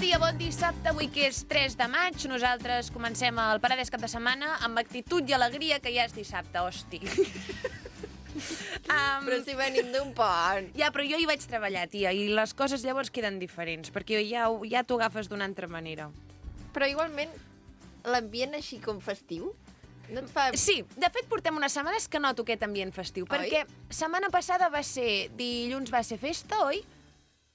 dia, bon dissabte, avui que és 3 de maig. Nosaltres comencem el Paradès cap de setmana amb actitud i alegria, que ja és dissabte, hosti. Però si venim d'un pont. Ja, però jo hi vaig treballar, tia, i les coses llavors queden diferents, perquè ja t'ho agafes d'una altra manera. Però igualment, l'ambient així com festiu, no et fa... Sí, de fet portem unes setmanes que noto aquest ambient festiu, perquè setmana passada va ser, dilluns va ser festa, oi?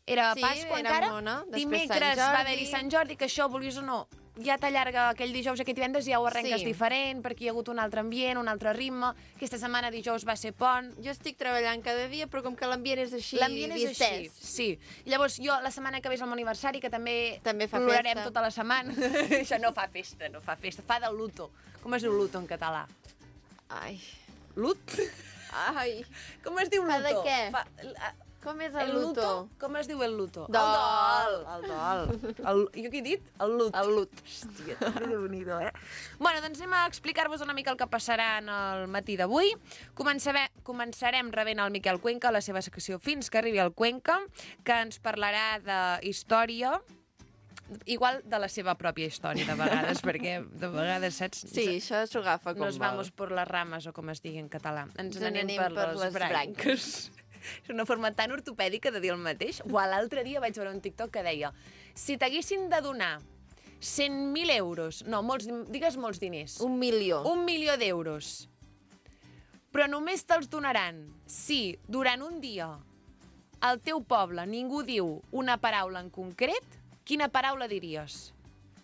Era Pasqua encara, dimecres va haver-hi Sant Jordi, que això, vulguis o no, ja t'allarga aquell dijous, aquest divendres ja ho arrenques diferent, perquè hi ha hagut un altre ambient, un altre ritme. Aquesta setmana dijous va ser pont. Jo estic treballant cada dia, però com que l'ambient és així, l'ambient és així, sí. I llavors jo, la setmana que ve és el meu aniversari, que també plorarem tota la setmana. Això no fa festa, fa de luto. Com es diu luto en català? Ai. Lut? Ai. Com es diu luto? Fa de què? Com és el luto? Com es diu el luto? Dol. El dol. Jo què he dit? El lut. El lut. Hòstia, déu-n'hi-do, Bueno, doncs anem a explicar-vos una mica el que passarà en el matí d'avui. Començarem rebent el Miquel Cuenca, la seva secció Fins que arribi el Cuenca, que ens parlarà de història, igual de la seva pròpia història, de vegades, perquè de vegades, saps? Sí, això s'ho agafa com vol. Nos vamos por las ramas, o com es digui en català. Ens n'anem per les branques. És una forma tan ortopèdica de dir el mateix. L'altre dia vaig veure un TikTok que deia: si t'haguessin de donar 100.000 euros, no, digues molts diners. 1 milió. 1 milió d'euros. Però només te'ls donaran si durant un dia al teu poble ningú diu una paraula en concret, quina paraula diries?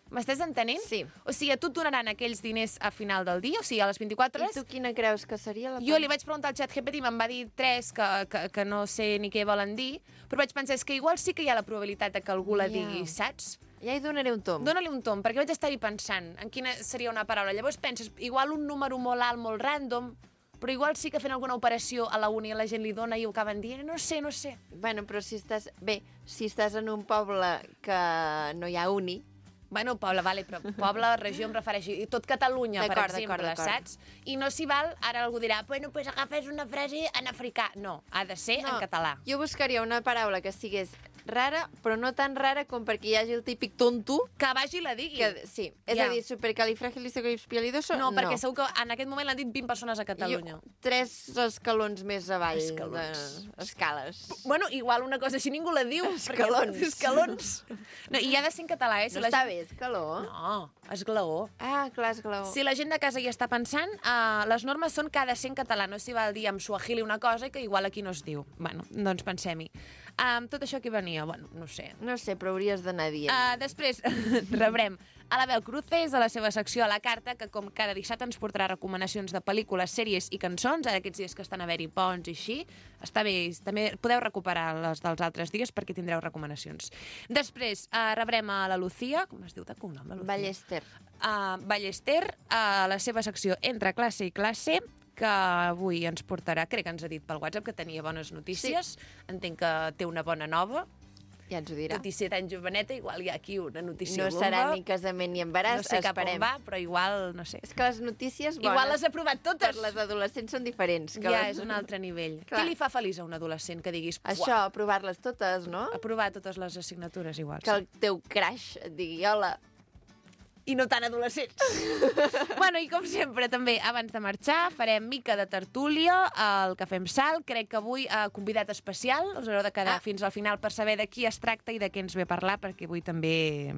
M'estàs entenent? Sí. O sigui, a tu et donaran aquells diners a final del dia, o sigui, a les 24 hores. I tu quina creus que seria la paraula? Jo li vaig preguntar al ChatGPT i me'n va dir 3 que no sé ni què volen dir, però vaig pensar, és que igual sí que hi ha la probabilitat que algú la digui, saps? Ja hi donaré un tom. Dóna-li un tom, perquè vaig estar-hi pensant en quina seria una paraula. Llavors penses, igual un número molt alt, molt random, però igual sí que fent alguna operació a la uni la gent li dona i ho acaben dient, no sé. Bueno, però si estàs en un poble que no hi ha uni... Bueno, poble, vale, però poble, regió em refereixo, i tot Catalunya, per exemple, saps? I no s'hi val, ara algú dirà, bueno, pues agafes una frase en africà. No, ha de ser en català. Jo buscaria una paraula que sigués rara, però no tan rara com perquè hi hagi el típic tonto. Que vagi i la digui. Sí, és a dir, supercalifragilisticoexpialidoso, no. No, perquè segur que en aquest moment l'han dit 20 persones a Catalunya. 3 escalons més avall d'escales. Bueno, igual una cosa així ningú la diu. Escalons. No, i ha de ser en català, No està bé, escaló? No, esglaó. Ah, clar, esglaó. Si la gent de casa hi està pensant, les normes són que ha de ser en català, no s'hi val dir en suahili una cosa que igual aquí no es diu. Bueno, doncs pensem-hi. Tot això que venia, bueno, no sé. No sé, però hauries d'anar dient. Després rebrem a l'Abel Cruces, a la seva secció a la carta, que com cada dissabte ens portarà recomanacions de pel·lícules, sèries i cançons, aquests dies que estan a haver-hi ponts i així. Està bé, també podeu recuperar les dels altres dies perquè tindreu recomanacions. Després rebrem a la Lucía, com es diu de cognom, la Lucía? Ballester. Ballester, a la seva secció Entre classe i classe, que avui ens portarà, crec que ens ha dit pel WhatsApp que tenia bones notícies. Sí. Entenc que té una bona nova. Ja ens ho dirà. 27 anys joveneta, igual hi ha aquí una notícia bomba. No serà ni casament ni embaràs, no sé cap on va, però igual, no sé. És que les notícies bones... Igual les ha provat totes. Per les adolescents són diferents. Ja, és un altre nivell. Què li fa feliç a un adolescent que diguis... Això, aprovar-les totes, no? Aprovar totes les assignatures igual. Que el teu crush et digui, hola... I no tan adolescents. Bueno, i com sempre, també, abans de marxar, farem mica de tertúlia al Cafè amb Sal. Crec que avui, convidat especial, us haureu de quedar fins al final per saber de qui es tracta i de què ens ve a parlar, perquè avui també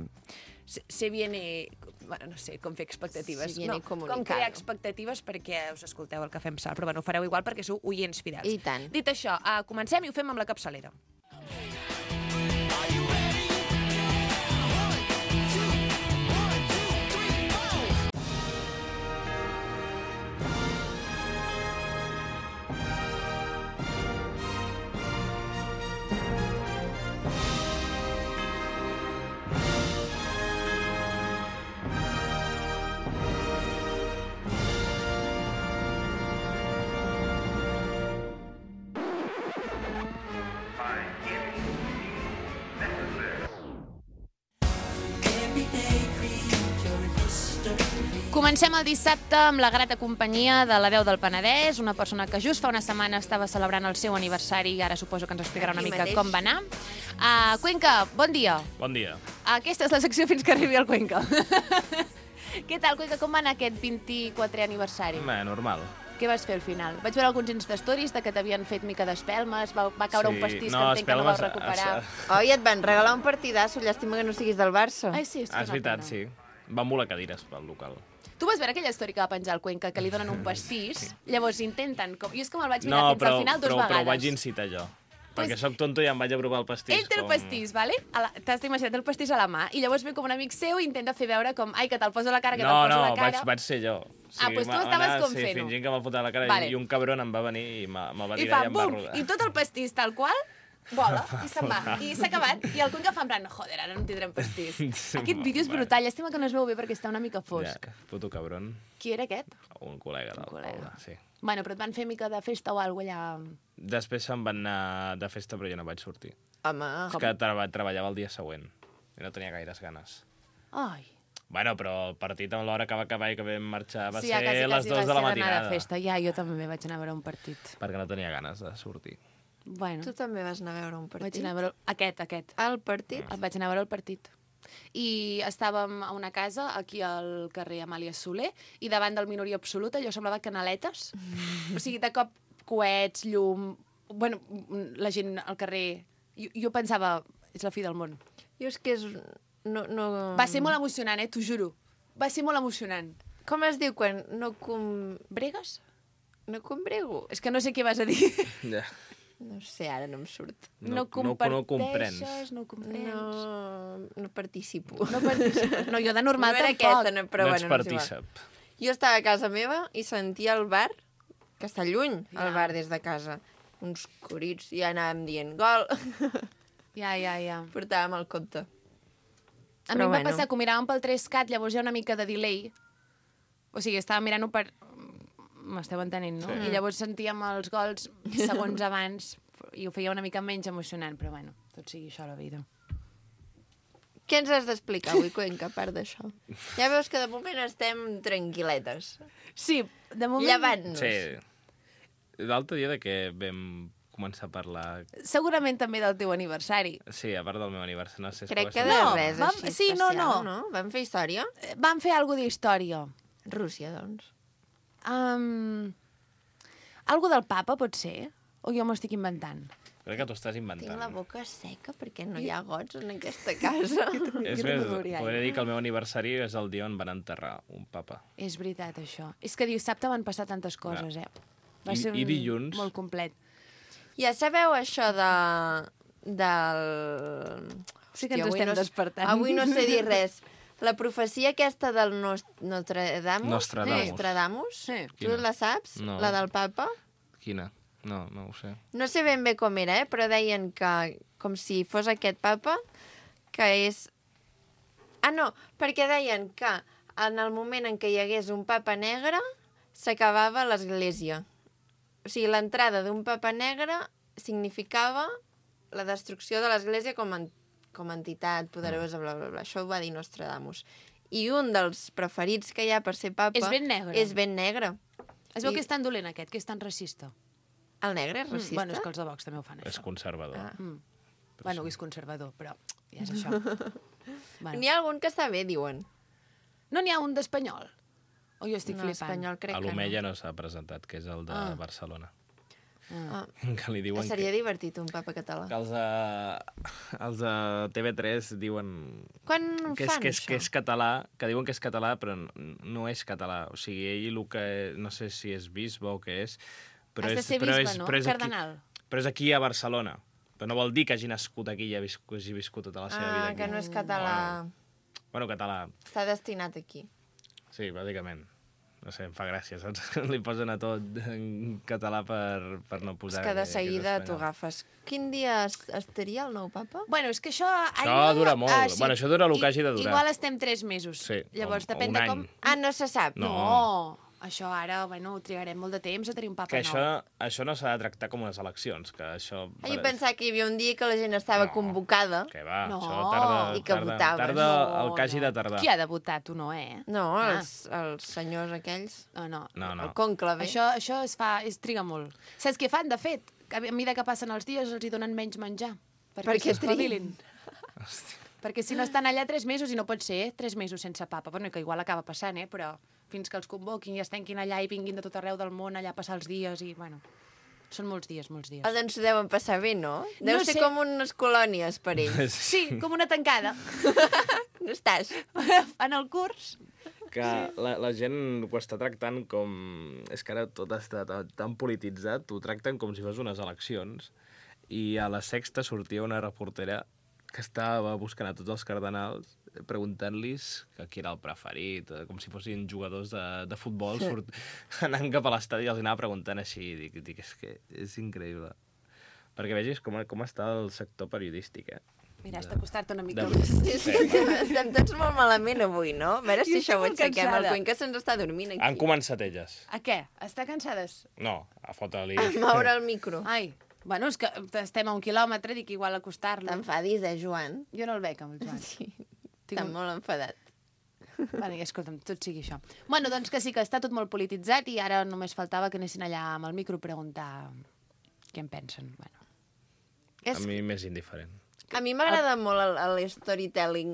se viene... Bueno, no sé, com fer expectatives. Se viene comunicado. Com crear expectatives perquè us escolteu el Cafè amb Sal. Però bueno, ho fareu igual perquè sou oients fidels. I tant. Dit això, comencem i ho fem amb la capçalera. Comencem el dissabte amb la grata companyia de la veu del Penedès, una persona que just fa una setmana estava celebrant el seu aniversari i ara suposo que ens explicarà una mica com va anar. Cuenca, bon dia. Bon dia. Aquesta és la secció fins que arribi el Cuenca. Què tal, Cuenca, com va anar aquest 24è aniversari? Normal. Què vas fer al final? Vaig veure alguns Insta-stories que t'havien fet mica d'espelmes, va caure un pastís que entenc que no vau recuperar. Oi, et van regalar un partidasso, llàstima que no siguis del Barça. Ai, sí, és veritat, sí. Van volar cadires pel local. Tu vas veure aquella història que va penjar el Cuenca, que li donen un pastís, llavors intenten... Jo és que me'l vaig mirar fins al final 2 vegades. Però ho vaig incitar jo. Perquè soc tonto i em vaig a provar el pastís. Ell té el pastís, vale? T'has d'imaginar, té el pastís a la mà, i llavors ve com un amic seu i intenta fer veure com, ai, que te'l poso a la cara, que te'l poso a la cara. No, vaig ser jo. Doncs tu estaves com fent-ho. Sí, fingint que me'l fotia a la cara i un cabron em va venir i me'l va tirar i em va rodar. I tot el pastís tal qual vola i se'n va. I s'ha acabat. I el Cuenca fa en plan, joder, ara no en tindrem pastís. Aquest vídeo és brutal. Llàstima que no es veu bé perquè està una mica fosc. Ja, puto cabron. Qui era aquest? Un col·lega del poble, sí. Bueno, però et van fer mica de festa o alguna cosa allà... Després se'n van anar de festa, però jo no vaig sortir. Home, és que treballava el dia següent i no tenia gaires ganes. Ai. Bueno, però el partit amb l'hora que va acabar i que vam marxar va ser les 2 de la matinada. De festa. Ja, jo també vaig anar a veure un partit. Perquè no tenia ganes de sortir. Bueno. Tu també vas anar a veure un partit? Vaig anar a veure aquest. El partit? Vaig anar a veure el partit. I estàvem a una casa, aquí al carrer Amàlia Soler, i davant del Minoria Absoluta allò semblava canaletes. O sigui, de cop coets, llum... Bueno, la gent al carrer... Jo pensava, és la fi del món. Jo és que és... No... Va ser molt emocionant, t'ho juro. Va ser molt emocionant. Com es diu quan no Bregues? No combrego. És que no sé què vas a dir. Ja. No sé, ara no em surt. No comparteixes, no comprens. No participo. No participes. No, jo de normal tampoc. Aquesta, però no ets partícip. Jo estava a casa meva i sentia el bar, que està lluny, el bar des de casa. Uns corits, i ja anàvem dient gol. Ja. Portàvem el compte. A mi em va passar que ho miràvem pel 3CAT, llavors hi ha una mica de delay. O sigui, estava mirant-ho per... M'esteu entenent, no? Sí. I llavors sentíem els gols segons abans i ho feia una mica menys emocionant, però bueno, tot sigui això a la vida. Què ens has d'explicar avui, Cuenca, a part d'això? Ja veus que de moment estem tranquil·letes. Sí, de moment... Llevant-nos. Sí. L'altre dia de què vam començar a parlar... Segurament també del teu aniversari. Sí, a part del meu aniversari. No sé. Crec que de res així especial, no? Vam fer història? Vam fer alguna d'història. Rússia, doncs. Algo del papa, pot ser? O jo m'ho estic inventant? Crec que t'ho estàs inventant. Tinc la boca seca perquè no hi ha gots en aquesta casa. És més, podria dir que el meu aniversari és el dia on van enterrar un papa. És veritat, això. És que dissabte van passar tantes coses, Va ser I dilluns... molt complet. Ja sabeu això del... Sí que ens estem despertant. Avui no sé dir res. La profecia aquesta del Nostradamus? Sí. Tu la saps? No. La del papa? Quina? No ho sé. No sé ben bé com era, però deien que, com si fos aquest papa, que és... Ah, no, perquè deien que en el moment en què hi hagués un papa negre, s'acabava l'església. O sigui, l'entrada d'un papa negre significava la destrucció de l'església com a entitat poderosa, bla, bla, bla. Això ho va dir Nostradamus. I un dels preferits que hi ha per ser papa... És ben negre. És ben negre. Es veu que és tan dolent aquest, que és tan racista. El negre és racista? Bueno, és que els de Vox també ho fan, això. És conservador. Bueno, és conservador, però ja és això. N'hi ha algun que està bé, diuen. No n'hi ha un d'espanyol? O jo estic flipant? Espanyol crec que no. A l'Omeia no s'ha presentat, que és el de Barcelona. Que li diuen seria divertit un papa català. Que els de TV3 diuen quan fan això? Que és català, que diuen que és català, però no és català. O sigui, ell el que... No sé si és bisbe o què és, però has de ser bisbe, no? Cardenal. Però és aquí a Barcelona. Però no vol dir que hagi nascut aquí i hagi viscut tota la seva vida aquí. Que no és català. Bueno, català. Està destinat aquí. Sí, bàsicament. No sé, em fa gràcia, saps? Li posen a tot en català per no posar... És que de seguida t'ho agafes. Quin dia estaria el nou papa? Bueno, és que això... Això dura molt. Sí. Bueno, això dura el que hagi de durar. Igual estem 3 mesos. Sí, llavors, depèn de com... No se sap. No. Això ara, bueno, trigarem molt de temps a tenir un papa que nou. això no s'ha de tractar com unes eleccions, que això... Jo pensava que hi havia un dia que la gent estava convocada. Que va, No. això tarda... I que votaves. Tarda el que hagi de tardar. Qui ha de votar? Tu no, eh? No, els senyors aquells. No. El conclave. Això es triga molt. Saps què fan, de fet? A mesura que passen els dies els hi donen menys menjar. Perquè s'espavilin. Perquè si no estan allà 3 mesos, i no pot ser, 3 mesos sense papa. Bueno, que igual acaba passant, però fins que els convoquin i es tanquin allà i vinguin de tot arreu del món allà a passar els dies i, bueno, són molts dies. Doncs ho deuen passar bé, no? Deu No ser sé. com unes colònies per ells. Sí, com una tancada. No estàs? En el curs. Que la gent ho està tractant com... És que ara tot està tan polititzat, ho tracten com si fos unes eleccions. I a la Sexta sortia una reportera que estava buscant a tots els cardenals, preguntant-los qui era el preferit, com si fossin jugadors de futbol, anant cap a l'estadi i els anava preguntant així. Dic, és que és increïble. Perquè vegis com està el sector periodístic, Mira, has d'acostar-te una mica. Estem tots molt malament avui, no? A veure si això ho aixequem. El Cuenca se'ns està dormint aquí. Han començat elles. A què? Està cansades? No, a fotre-li... A moure el micro. Ai, bueno, és que estem a 1 quilòmetre, dic igual acostar-lo. T'enfadis, Joan? Jo no el veig, amb el Joan. Sí, està molt enfadat. Bueno, i escolta'm, tot sigui això. Bueno, doncs que sí, que està tot molt polititzat i ara només faltava que anessin allà amb el micro a preguntar què en pensen. Bueno. A mi més indiferent. A mi m'agrada molt el storytelling.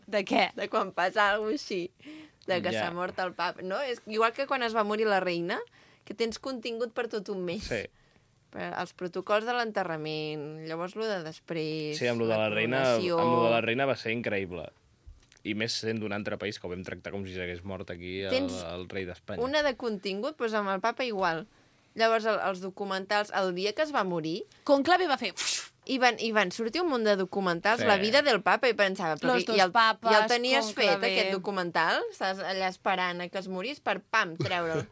De què? De quan passa alguna cosa així. De que s'ha mort el papa. No? És igual que quan es va morir la reina, que tens contingut per tot un mes. Sí. Els protocols de l'enterrament, llavors lo de després... Sí, amb lo de la reina va ser increïble. I més sent d'un altre país que ho vam tractar com si s'hagués mort aquí el rei d'Espanya. Una de contingut, doncs amb el papa igual. Llavors, els documentals, el dia que es va morir... Conclave va fer... I van sortir un munt de documentals, la vida del papa, i pensava... Los dos papes, ja el tenies Conclave... fet, aquest documental? Estàs allà esperant a que es morís per, pam, treure'l.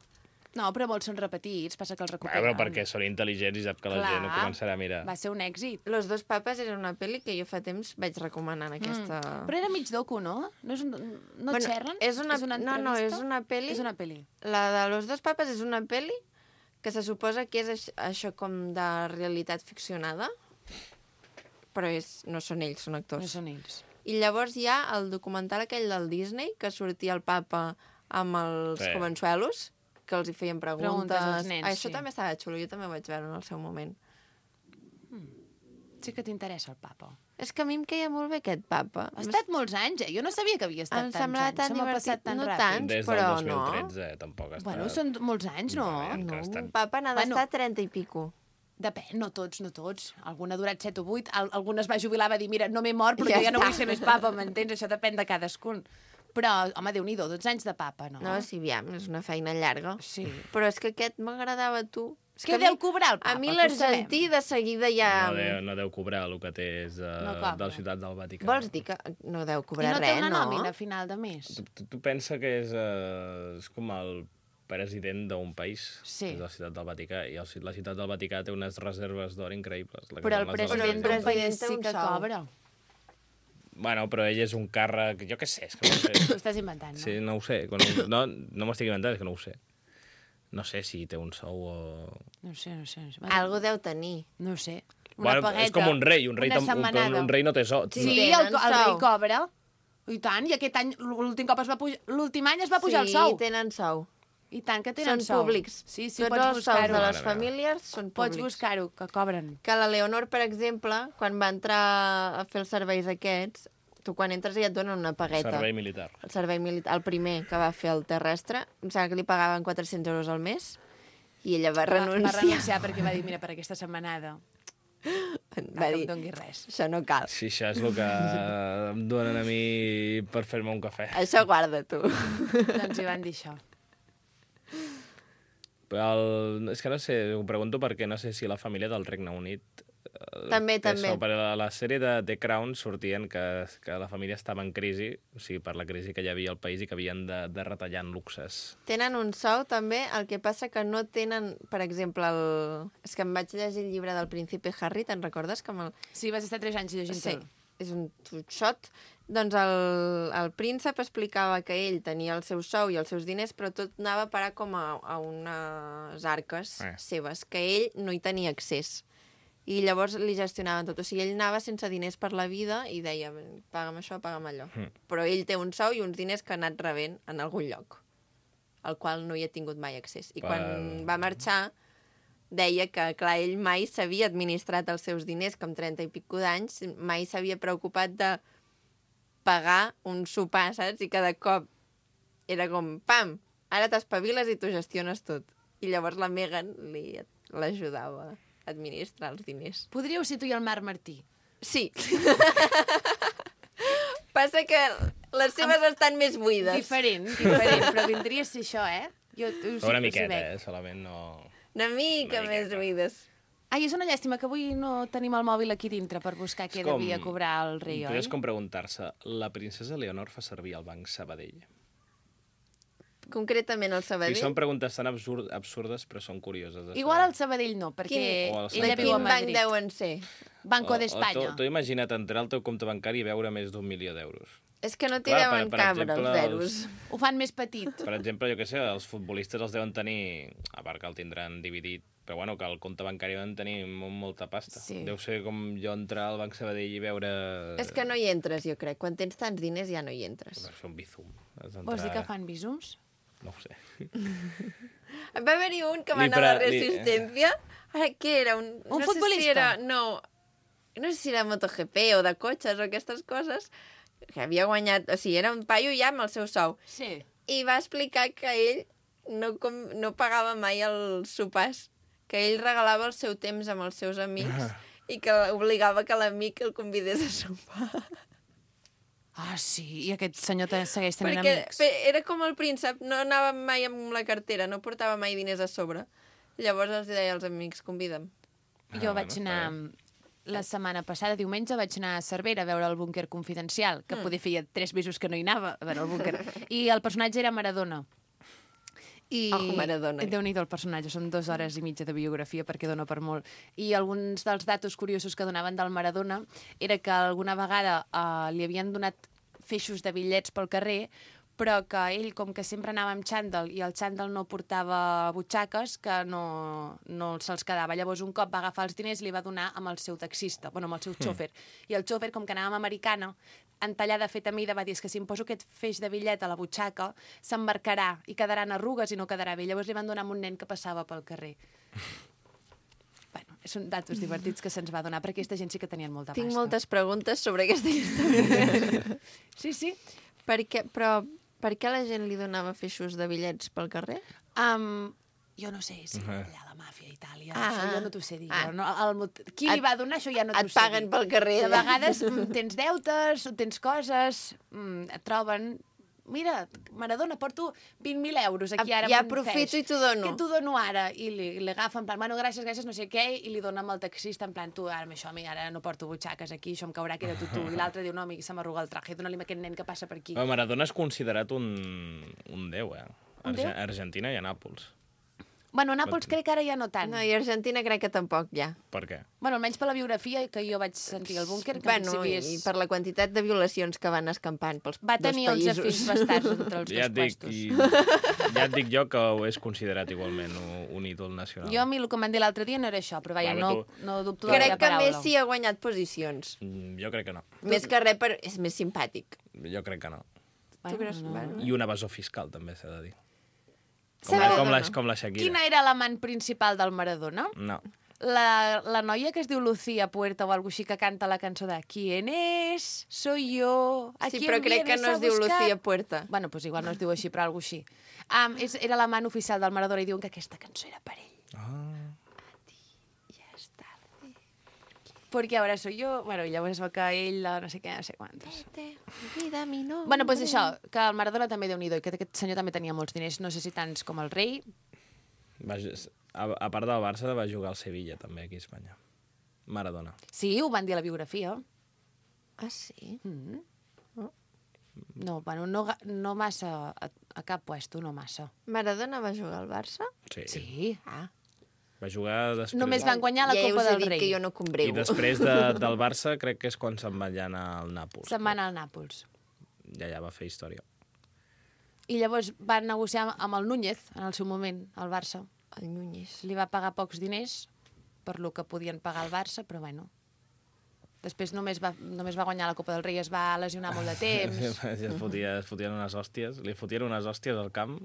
No, però molts són repetits, passa que els recuperen. Però perquè són intel·ligents i sap que la gent ho començarà a mirar. Va ser un èxit. Los dos papes era una pel·li que jo fa temps vaig recomanar en aquesta... Però era mig docu, no? No xerren? És una entrevista? No, és una pel·li. És una pel·li. La de Los dos papes és una pel·li que se suposa que és això com de realitat ficcionada, però no són ells, són actors. No són ells. I llavors hi ha el documental aquell del Disney, que sortia el papa amb els comensuelos, que els hi feien preguntes als nens, això també estava xulo, jo també ho vaig veure en el seu moment. Sí que t'interessa el papa. És que a mi em queia molt bé aquest papa. Ha estat molts anys, Jo no sabia que havia estat tants anys. Em semblava tan divertit. Tan no ràpid. tants, des però del 2013, tampoc està... Bueno, són molts anys, no? No, un papa n'ha d'estar 30 i pico. Depèn, no tots. Algun ha durat 7 o 8, algun es va jubilar, va dir, mira, no m'he mort, però ja no vull ser més papa, m'entens? Això depèn de cadascun. Però, home, Déu-n'hi-do, 12 anys de papa, no? No, sí, aviam, és una feina llarga. Sí. Però és que aquest m'agradava, tu. Què deu cobrar el papa? A mi l'argentí de seguida ja... No deu cobrar el que té és de la ciutat del Vaticà. Vols dir que no deu cobrar res, no? I no té una nòmina a final de mes? Tu pensa que és com el president d'un país, és la ciutat del Vaticà, i la ciutat del Vaticà té unes reserves d'or increïbles. Però el president d'un país sí que cobra. Bueno, però ell és un càrrec... Jo què sé, és que no ho sé. Ho estàs inventant, no? Sí, no ho sé. No m'estic inventant, és que no ho sé. No sé si té un sou o... No sé. Algo deu tenir. No sé. Una pagueta. És com un rei. Un rei no té sou. Sí, el rei cobra. I tant, i aquest any, l'últim any es va pujar el sou. Sí, tenen sou. I tant que tenen sou. Són públics. Sí, tots els sous de les famílies són públics. Pots buscar-ho, que cobren. Que la Leonor, per exemple, quan va entrar a fer els serveis aquests, tu quan entres ja et donen una pagueta. Servei militar. El servei militar, el primer que va fer el terrestre, em sembla que li pagaven 400 euros al mes, i ella va renunciar. Va renunciar perquè va dir, mira, per aquesta setmanada va dir, no em doni res. Això no cal. Sí, això és el que em donen a mi per fer-me un cafè. Això guarda, tu. Doncs hi van dir això. Però és que no sé, ho pregunto perquè no sé si la família del Regne Unit... També. Per a la sèrie de The Crown sortien que la família estava en crisi, o sigui, per la crisi que hi havia al país i que havien de retallar en luxes. Tenen un sou, també, el que passa que no tenen, per exemple, És que em vaig llegir el llibre del Príncipe Harry, te'n recordes? Sí, vas estar 3 anys llegint-te'l. Sí, és un xot Doncs el príncep explicava que ell tenia el seu sou i els seus diners, però tot anava a parar com a unes arques seves, que ell no hi tenia accés. I llavors li gestionaven tot. O sigui, ell anava sense diners per la vida i deia, paga'm això, paga'm allò. Però ell té un sou i uns diners que ha anat rebent en algun lloc, al qual no hi ha tingut mai accés. I quan va marxar, deia que, clar, ell mai s'havia administrat els seus diners, com 30 i pico d'anys, mai s'havia preocupat de pagar un sopar, saps? I cada cop era com, pam, ara t'espaviles i tu gestiones tot. I llavors la Meghan l'ajudava a administrar els diners. Podríeu ser tu i el Marc Martí. Sí. Passa que les seves estan més buides. Diferent, però vindria a ser això, Una miqueta, solament no... Una mica més buides. Ai, és una llàstima que avui no tenim el mòbil aquí dintre per buscar què devia cobrar el rei, oi? És com preguntar-se, la princesa Leonor fa servir el Banc Sabadell? Concretament el Sabadell? Sí, són preguntes tan absurdes, però són curioses. Igual el Sabadell no, perquè ella viu a Madrid. Quin banc deuen ser? Banco d'Espanya. Tu imagina't entrar al teu compte bancari i veure més d'1 milió d'euros. És que no t'hi deuen cabre els zeros. Ho fan més petit. Per exemple, jo què sé, els futbolistes els deuen tenir, a part que el tindran dividit, però bueno, que el compte bancari deuen tenir molta pasta. Sí. Deu ser com jo entrar al Banc Sabadell i veure... És que no hi entres, jo crec. Quan tens tants diners ja no hi entres. Va fer un bizum. Vols dir que fan bizums? No ho sé. Va haver-hi un que va anar a la Resistència. Ara, què era? Un futbolista? No sé si era MotoGP o de cotxes o aquestes coses, que havia guanyat... O sigui, era un paio ja amb el seu sou. Sí. I va explicar que ell no pagava mai els sopars, que ell regalava el seu temps amb els seus amics i que obligava que l'amic el convidés a sopar. Ah, sí? I aquest senyor segueix tenint amics? Perquè era com el príncep, no anava mai amb la cartera, no portava mai diners a sobre. Llavors els deia als amics, convida'm. Jo vaig anar... La setmana passada, diumenge, vaig anar a Cervera a veure el búnquer confidencial, que poder feia 3 mesos que no hi anava a veure el búnquer. I el personatge era Maradona. Maradona. Déu-n'hi-do el personatge, són 2 hores i mitja de biografia perquè dona per molt. I alguns dels datos curiosos que donaven del Maradona era que alguna vegada li havien donat feixos de bitllets pel carrer, però que ell, com que sempre anava amb xàndal i el xàndal no portava butxaques, que no se'ls quedava. Llavors un cop va agafar els diners i li va donar amb el seu taxista, amb el seu xòfer. I el xòfer, com que anava amb americana, entallada feta a mida, va dir que si em poso aquest feix de bitllet a la butxaca, s'embarcarà i quedaran arrugues i no quedarà bé. Llavors li van donar amb un nen que passava pel carrer. Bueno, són datos divertits que se'ns va donar, perquè aquesta gent sí que tenien molta pasta. Tinc moltes preguntes sobre aquesta història. Sí. Per què la gent li donava feixos de bitllets pel carrer? Jo no sé si allà la màfia a Itàlia, això jo no t'ho sé dir. Qui li va donar, això ja no t'ho sé dir. Et paguen pel carrer. De vegades tens deutes, tens coses, et troben... Mira, Maradona, porto 20.000 euros aquí ara. Ja aprofito i t'ho dono. Què t'ho dono ara? I li agafa en plan, bueno, gràcies, no sé què, i li dona amb el taxista en plan, tu, ara no porto butxaques aquí, això em caurà, queda-t'ho tu. I l'altre diu, no, amic, se m'arruga el traje, dona-li a aquest nen que passa per aquí. Maradona és considerat un déu, Argentina i a Nàpols. Bueno, a Nàpols crec que ara ja no tant. No, i a Argentina crec que tampoc, ja. Per què? Bueno, almenys per la biografia que jo vaig sentir al búnquer, que en principi és... I per la quantitat de violacions que van escampant pels dos països. Va tenir 11 fills bastards entre els dos puestos. Ja et dic jo que ho és considerat igualment un ídol nacional. Jo a mi el que em van dir l'altre dia no era això, però vaja, no dubto de la paraula. Crec que Messi ha guanyat posicions. Jo crec que no. Més que res, és més simpàtic. Jo crec que no. Tu creus? I un evasor fiscal, també s'ha de dir. Com la Shakira. Quina era l'amant principal del Maradona? No. La noia que es diu Lucía Puerta o alguna així que canta la cançó de ¿Quién es? Soy yo. Sí, però crec que no es diu Lucía Puerta. Bueno, doncs igual no es diu així, però alguna així. Era l'amant oficial del Maradona i diuen que aquesta cançó era per ell. Perquè ara soy yo... Bueno, llavors va que ell, no sé què, no sé quantos. Bueno, doncs això, que el Maradona també Déu-n'hi-do, i que aquest senyor també tenia molts diners, no sé si tants com el rei. A part del Barça, va jugar al Sevilla, també, aquí a Espanya. Maradona. Sí, ho van dir a la biografia. Ah, sí? No, bueno, no massa, a cap puesto, no massa. Maradona va jugar al Barça? Sí. Sí. Va jugar després... Només van guanyar la Copa del Rei. Ja us he dit que jo no combreu. I després del Barça crec que és quan se'n van anar al Nàpols. Se'n van anar al Nàpols. Ja va fer història. I llavors van negociar amb el Núñez, en el seu moment, al Barça. El Núñez. Li va pagar pocs diners per lo que podien pagar al Barça, però bueno... Després només va guanyar la Copa del Rei, es va lesionar molt de temps. Es fotien unes hòsties, li fotien unes hòsties al camp.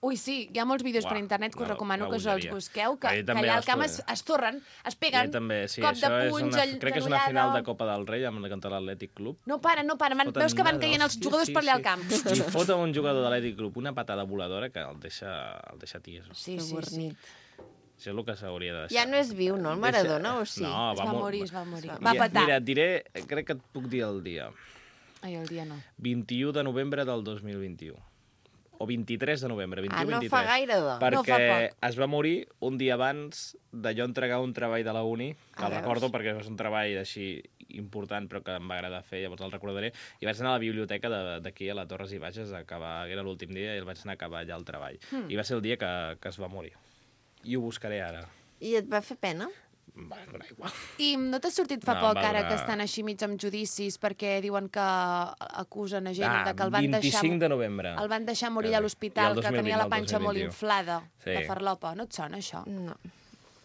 Ui, sí, hi ha molts vídeos per internet que us recomano que us els busqueu, que allà al camp es torren, es peguen, cop de punys, crec que és una final de Copa del Rei amb contra l'Atlètic Club. No paren, veus que van caient els jugadors per allà al camp. I foten un jugador de l'Atlètic Club una patada voladora que el deixa tieso. Sí. Això és el que s'hauria de deixar. Ja no és viu, no, el Maradona, o sí? No, es va morir. Va patar. Mira, et diré, crec que et puc dir el dia. Ai, el dia no. 21 de novembre del 2021. O 23 de novembre, 21-23. No fa gaire, perquè es va morir un dia abans de jo entregar un treball de la uni, que el recordo perquè és un treball així important, però que em va agradar fer, llavors el recordaré, i vaig anar a la biblioteca d'aquí, a la Torres i Bages, era l'últim dia, i el vaig anar a acabar allà el treball. I va ser el dia que es va morir. I ho buscaré ara. I et va fer pena? Va donar igual. I no t'ha sortit fa poc, ara que estan així mig amb judicis, perquè diuen que acusen a gent de que el van 25 de novembre. El van deixar morir a l'hospital, que tenia la panxa molt inflada de farlopa. No et sona, això? No.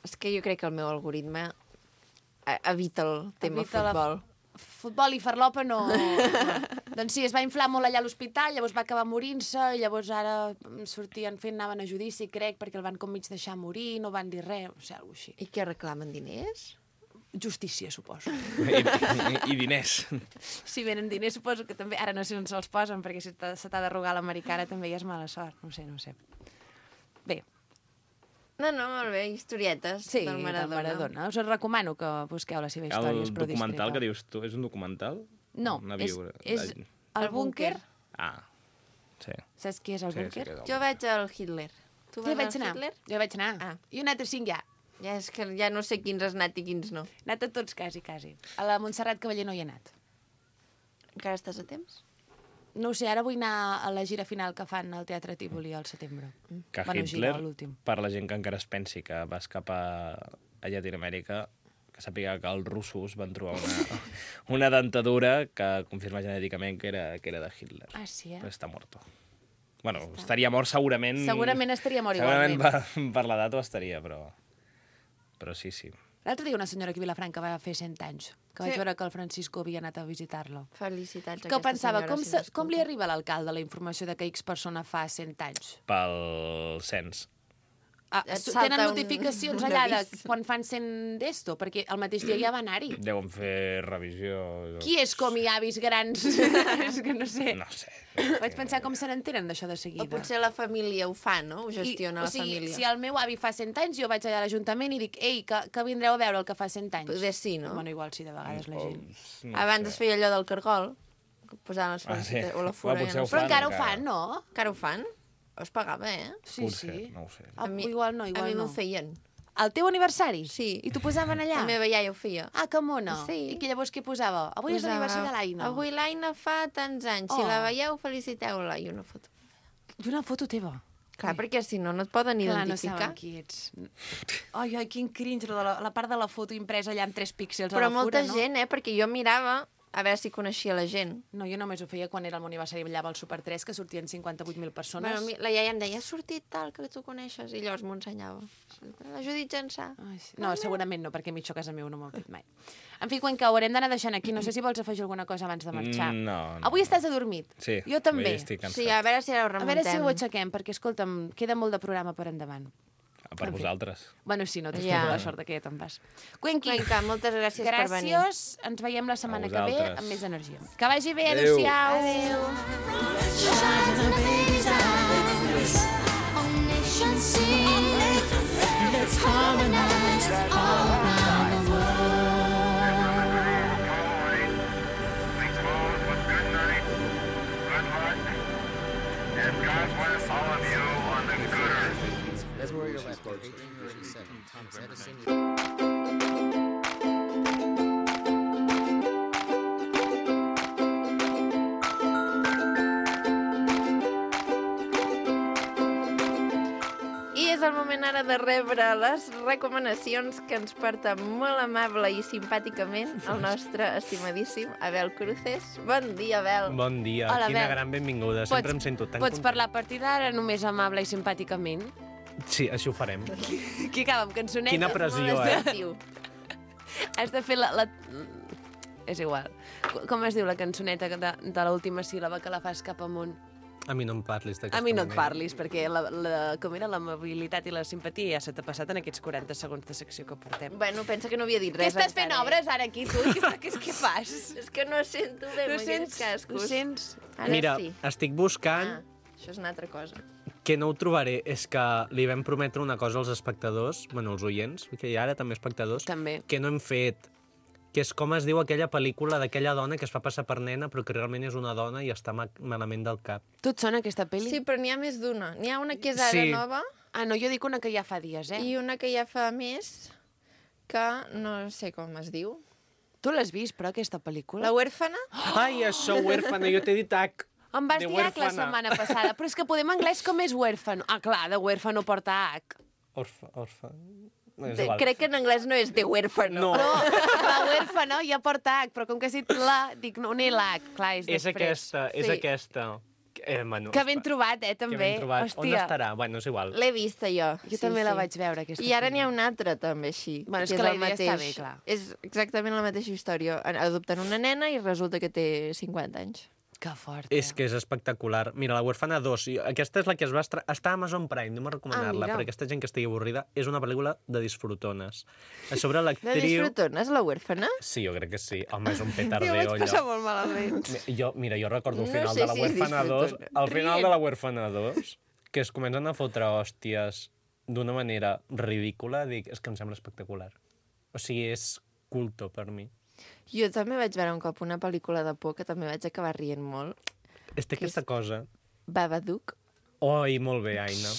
És que jo crec que el meu algoritme evita el tema futbol. Futbol i farlopa no... Doncs sí, es va inflar molt allà a l'hospital, llavors va acabar morint-se, i llavors ara anaven a judici, crec, perquè el van com mig deixar morir, no van dir res, o sigui, alguna cosa així. I què reclamen, diners? Justícia, suposo. I diners. Si venen diners, suposo que també... Ara no sé on se'ls posen, perquè si se t'ha de rogar l'americana també ja és mala sort, no sé. Bé. No, molt bé, historietes del Maradona. Us recomano que busqueu la seva història. El documental que dius tu, és un documental? No, és El Búnquer. Ah, sí. Saps qui és el Búnquer? Jo vaig al Hitler. Tu vas al Hitler? Jo vaig anar. I he anat a 5 ja. Ja és que ja no sé quins has anat i quins no. He anat a tots, quasi. A la Montserrat Cavaller no hi he anat. Encara estàs a temps? No ho sé, ara vull anar a la gira final que fan al Teatre Tívoli al setembre. Que Hitler, per la gent que encara es pensi que vas cap a Llatinoamèrica, que sàpiga que els russos van trobar una dentadura que confirma genèticament que era de Hitler. Ah, sí, Però està mort. Bueno, estaria mort segurament... Segurament estaria mort igualment. Segurament per l'edat ho estaria, però sí. L'altre dia una senyora aquí a Vilafranca va fer 100 anys, que vaig veure que el Francisco havia anat a visitar-lo. Felicitats a aquesta senyora. Que pensava, com li arriba a l'alcalde la informació de que X persona fa 100 anys? Pel cens. Tenen notificacions allà de quan fan 100 d'esto? Perquè el mateix dia ja va anar-hi. Deuen fer revisió. Qui és com hi avis grans? És que no sé. No sé. Vaig pensar com se n'entenen d'això de seguida. O potser la família ho fa, no? Ho gestiona la família. Si el meu avi fa 100 anys, jo vaig allà a l'Ajuntament i dic, ei, que vindreu a veure el que fa 100 anys. Potser sí, no? Bueno, igual sí, de vegades la gent. Abans es feia allò del cargol, que posaven les felicitats, o la fura. Però encara ho fan, no? Encara ho fan? Es pagava, Sí. No ho sé. Igual no. A mi m'ho feien. El teu aniversari? Sí. I t'ho posaven allà? La meva iaia ho feia. Ah, que mona. Sí. I que llavors què posava? Avui és l'aniversari de l'Aina. Avui l'Aina fa tants anys. Si la veieu, feliciteu-la. I una foto. I una foto teva? Clar, perquè si no, no et poden identificar. Clar, no saben qui ets. Ai, quin cringe, la part de la foto impresa allà amb 3 píxels a Però la fura, no? molta gent, perquè jo mirava a veure si coneixia la gent. No, jo només ho feia quan era el meu aniversari, ballava al Super 3, que sortien 58.000 persones. Bueno, la iaia em deia, ha sortit tal, que tu coneixes, i llavors m'ho ensenyava. La Judit Jansà. No, segurament no, perquè mitja casa meu no m'ho ha fet mai. En fi, quan haurem d'anar deixant aquí, no sé si vols afegir alguna cosa abans de marxar. No. Avui estàs adormit? Sí. Jo també. Estic cansat. Sí, a veure si ara ho remuntem. A veure si ho aixequem, perquè, escolta'm, queda molt de programa per endavant. Per vosaltres. Bueno, sí, no tens la sort que ja te'n vas. Cuenca, moltes gràcies per venir. Gràcies, ens veiem la setmana que ve amb més energia. Que vagi bé, adéu-siau. That's where you're left. 1837. Thomas Edison. és el moment ara de rebre les recomanacions que ens porta molt amable i simpàticament el nostre estimadíssim Abel Cruces. Bon dia, Abel. Bon dia, Hola, quina Abel. gran benvinguda. Sempre em sento tan Pots parlar a partir d'ara només amable i simpàticament? Sí, així ho farem. Qui acaba amb cançoneta? Quina pressió, Molt eh? assertiu. Has de fer la... És igual. Com es diu la cançoneta de l'última síl·laba que la fas cap amunt? A mi no em parlis d'aquesta A mi no et manera. parlis, perquè com era l'amabilitat i la simpatia ja se t'ha passat en aquests 40 segons de secció que portem. Bueno, pensa que no havia dit Què res estàs fent encara, obres ara aquí, tu? Què fas? És que no sento bé, No no sents? cascos. Ho sents? Ara Mira, sí. estic buscant, Això és una altra cosa. que no ho trobaré, és que li vam prometre una cosa als espectadors, bueno, als oients, que ara també espectadors, També. que no hem fet, que és com es diu aquella pel·lícula d'aquella dona que es fa passar per nena però que realment és una dona i està malament del cap. Tu et sona aquesta pel·li? Sí, però n'hi ha més d'una. N'hi ha una que és ara Sí. nova Ah, no, jo dic una que ja fa dies, eh? i una que ja fa més que no sé com es diu. Tu l'has vist, però, aquesta pel·lícula? La huérfana? Ai, això, huérfana, jo t'he dit H. Em vas de dir H la huérfana. setmana passada, però és que podem anglès com és huérfano. Ah, clar, de huérfano porta H. Orfa. No, és igual. Crec que en anglès no és de huérfano. No, No, la huérfano ja porta H, però com que has dit la, dic, no n'hi l'H, clar, és és després. aquesta. Sí. Bueno, Que ben trobat, també. Que ben trobat. On Hòstia. estarà? Bueno, és igual. L'he vista jo. Jo també la vaig veure, aquesta I ara n'hi ha pel·lícula. una altra, també, així. Bueno, és que que la el idea està mateix. bé, clar. És exactament la mateixa història. Adopten una nena i resulta que té 50 anys. Que fort. És que és espectacular. Mira, La huérfana 2, aquesta és la que es va està a Amazon Prime, no m'ho recomanar-la, mira. per aquesta gent que estigui avorrida. És una pel·lícula de disfrutones. A sobre De l'actriu... disfrutones, la huérfana? Sí, jo crec que sí. Home, és un Jo petardeo, vaig passar allò. molt malament. Mira, jo recordo el No final sé de La si és huérfana 2, disfrutona. al final de La huérfana 2, que es comencen a fotre hòsties d'una manera ridícula, dic, és que em sembla espectacular. O sigui, és culto per mi. Jo també vaig veure un cop una pel·lícula de por que també vaig acabar rient molt. Té aquesta cosa. Babadook. Oi, molt bé, Aina.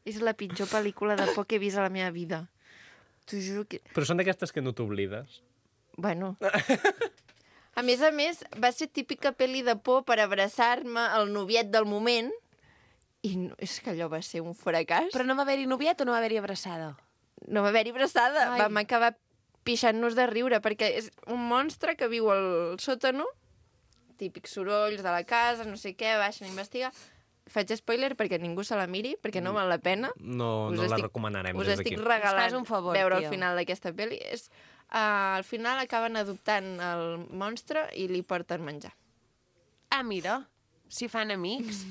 És la pitjor pel·lícula de por que he vist a la meva vida. T'ho juro que... Però són d'aquestes que no t'oblides. Bueno. A més, va ser típica pel·li de por per abraçar-me al noviet del moment i no, és que allò va ser un fracàs. Però no va haver-hi noviet o no va haver-hi abraçada? No va haver-hi abraçada. Ai. Vam acabar pixant-nos de riure perquè és un monstre que viu al sòtano, típics sorolls de la casa, no sé què, baixen a investigar. Faig spoiler perquè ningú se la miri, perquè no val la pena. No la recomanarem us des d'aquí. estic Ens regalant fas un favor, veure tio. el final d'aquesta pel·li. Al final acaben adoptant el monstre i li porten menjar. Ah, mira, si fan amics.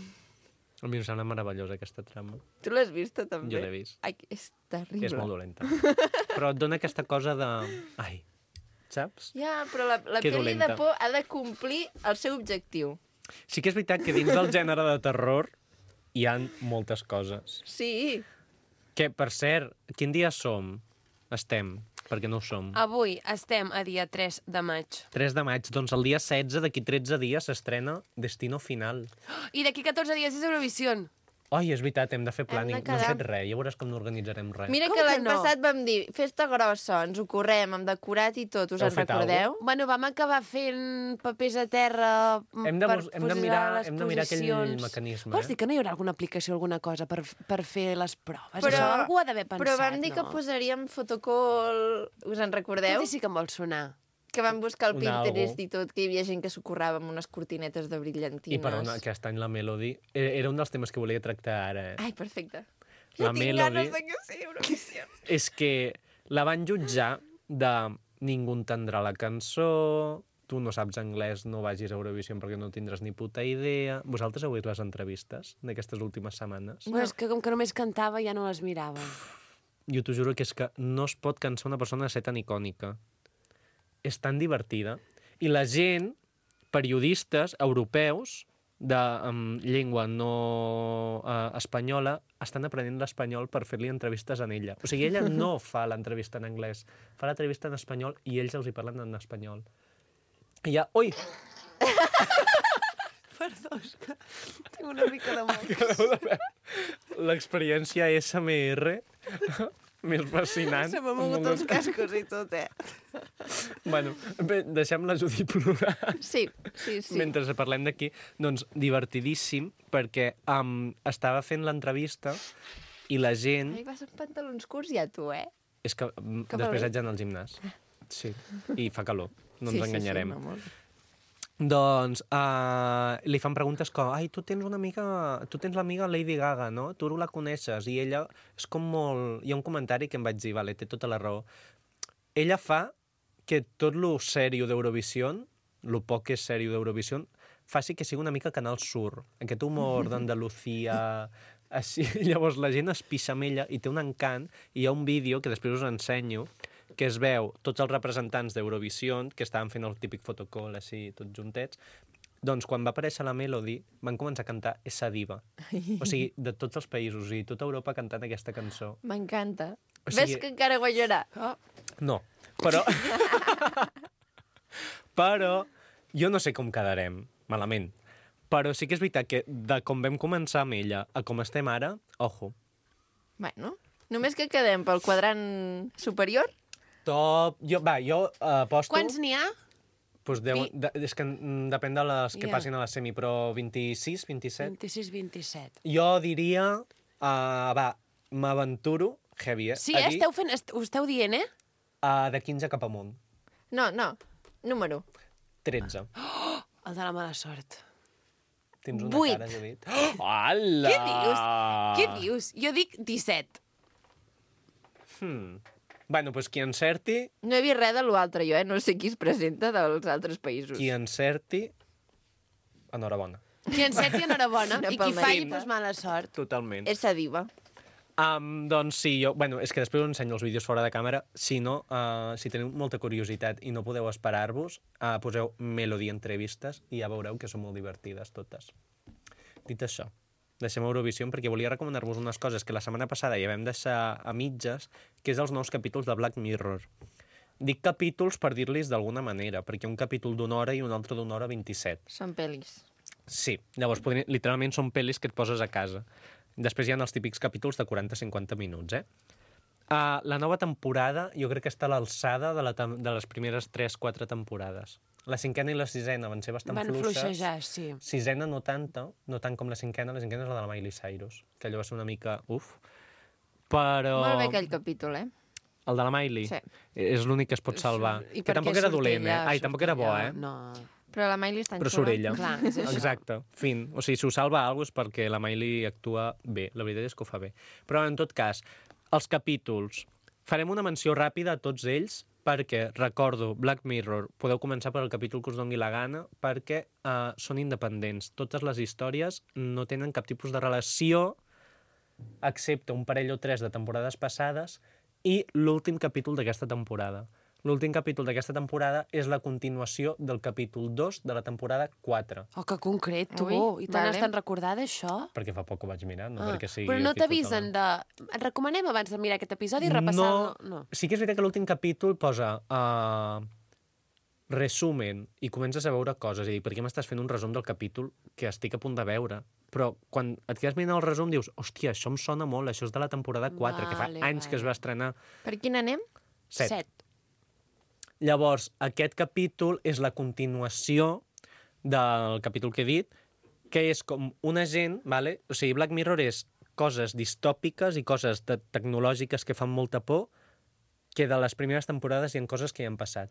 A mi em sembla meravellosa aquesta trama. Tu l'has vista, també? Jo l'he vist. Ai, és terrible. És molt dolenta. Però et dona aquesta cosa de... Ai, saps? Ja, però la Que pel·li dolenta. de por ha de complir el seu objectiu. Sí que és veritat que dins del gènere de terror hi han moltes coses. Sí. Que, per cert, quin dia som? Estem, perquè no ho som. Avui estem a dia 3 de maig. 3 de maig, doncs el dia 16, d'aquí 13 dies, s'estrena Destino Final. I d'aquí 14 dies és Eurovisió. Oi, és veritat, hem de fer planning. de No hem quedar- fet res, ja veuràs com no organitzarem res. Mira Com que que l'any no? passat vam dir festa grossa, ens ho correm, amb decorat i tot, us Heu en fet recordeu? Bueno, vam acabar fent papers a terra Hem de per mirar aquell posicions. mecanisme, Vols dir que no hi haurà alguna aplicació, alguna cosa per fer les proves? Però- Això algú ha d'haver pensat, Però vam dir no? que posaríem fotocall, us en recordeu? Tot i sí que em vol sonar. Que vam buscar el Un Pinterest algo. i tot, que hi havia gent que s'ho currava amb unes cortinetes de brillantines. I perdona, aquest any la Melody... Era un dels temes que volia tractar ara. Ai, perfecte. La Ja tinc Melody- ganes de que sigui Eurovisió. És que la van jutjar de ningú entendrà la cançó, tu no saps anglès, no vagis a Eurovisió perquè no tindràs ni puta idea. Vosaltres heu vist les entrevistes d'aquestes últimes setmanes? Bueno, és que com que només cantava ja no les mirava. Jo t'ho juro que és que no es pot cansar una persona de ser tan icònica. És tan divertida. I la gent, periodistes europeus de llengua no espanyola, estan aprenent l'espanyol per fer-li entrevistes en ella. O sigui, ella no fa l'entrevista en anglès, fa l'entrevista en espanyol i ells els hi parlen en espanyol. I ja... Ui! Perdó, és que tinc una mica de mal. L'experiència SMR més fascinant. Se m'ha mogut els cascos i tot, Bueno, bé, deixem la Judit plorar. Sí. Mentre parlem d'aquí, doncs divertidíssim, perquè estava fent l'entrevista i la gent... Ai, vas amb pantalons curts ja, tu, eh? És que després haig d'anar al gimnàs. Sí, i fa calor, no ens enganyarem. Sí, molt. Doncs li fan preguntes com ai, tu tens l'amiga Lady Gaga, no? Tu la coneixes, i ella és com molt... Hi ha un comentari que em vaig dir, vale, té tota la raó. Ella fa que tot lo sèrio d'Eurovisió, lo poc que és sèrio d'Eurovisió, faci que sigui una mica Canal Sur. Aquest humor d'Andalucía... Així, llavors la gent es pixa amb ella i té un encant, i hi ha un vídeo que després us ensenyo, que es veu tots els representants d'Eurovisió, que estaven fent el típic fotocall, així, tots juntets. Doncs quan va aparèixer la Melody, van començar a cantar Essa Diva. O sigui, de tots els països, i tota Europa cantant aquesta cançó. M'encanta. O sigui... Ves que encara guanyarà. Oh. No, però... però jo no sé com quedarem, malament. Però sí que és veritat que de com vam començar amb ella a com estem ara, ojo. Bueno, només que quedem pel quadrant superior. Top... Jo aposto... Quants n'hi ha? Pues és que depèn de les que passin a la semi, però 26, 27... 26, 27. Jo diria... m'aventuro, heavy, Sí, ho esteu dient, eh? De 15 cap amunt. No, número. 13. El de la mala sort. Tens una 8. cara, Judit. Hola! Què dius? Jo dic 17. Bueno, doncs qui encerti... No he vist res de l'altre, jo, No sé qui es presenta dels altres països. Qui encerti... Enhorabona. Qui encerti, enhorabona. Una I qui falli, palmadita. doncs mala sort. Totalment. Essa diva. Doncs sí, bueno, és que després us ensenyo els vídeos fora de càmera. Si no, si teniu molta curiositat i no podeu esperar-vos, poseu Melody entrevistes i ja veureu que són molt divertides totes. Dit això, deixem Eurovisió perquè volia recomanar-vos unes coses que la setmana passada ja vam deixar a mitges, que és els nous capítols de Black Mirror. Dic capítols per dir-los d'alguna manera, perquè un capítol d'1 hora i un altre d'1 hora 27. Són pel·lis. Sí, llavors literalment són pel·lis que et poses a casa. Després hi ha els típics capítols de 40-50 minuts, la nova temporada jo crec que està a l'alçada de les primeres 3-4 temporades. La 5a i la 6a van ser bastant fluixes. Van fluixejar, sí. 6a no tant com la 5a. La 5a és la de la Miley Cyrus, que allò va ser una mica però... Molt bé aquell capítol, El de la Miley? Sí. És l'únic que es pot salvar. I que tampoc era dolent, Ai, tampoc era bo, No. Però la Miley està en Però surt ella. Clar, és això. Exacte, fin. O sigui, si ho salva alguna cosa és perquè la Miley actua bé. La veritat és que ho fa bé. Però, en tot cas, els capítols. Farem una menció ràpida a tots ells perquè, recordo, Black Mirror, podeu començar per el capítol que us doni la gana perquè són independents. Totes les històries no tenen cap tipus de relació excepte un parell o 3 de temporades passades i l'últim capítol d'aquesta temporada. L'últim capítol d'aquesta temporada és la continuació del capítol 2 de la temporada 4. Oh, que concret, tu. I te n'has tan recordada, això? Perquè fa poc ho vaig mirar, no perquè sigui... Però no t'avisen de... Et recomanem abans de mirar aquest episodi i repassar-lo? No. Sí que és veritat que l'últim capítol posa resumen i comences a veure coses. I dir, per què m'estàs fent un resum del capítol que estic a punt de veure? Però quan et quedes mirant el resum dius, hòstia, això em sona molt, això és de la temporada 4, que fa anys que es va estrenar. Per quin anem? 7. Llavors, aquest capítol és la continuació del capítol que he dit, que és com un agent, vale? O sigui, Black Mirror és coses distòpiques i coses tecnològiques que fan molta por, que de les primeres temporades hi ha coses que hi han passat,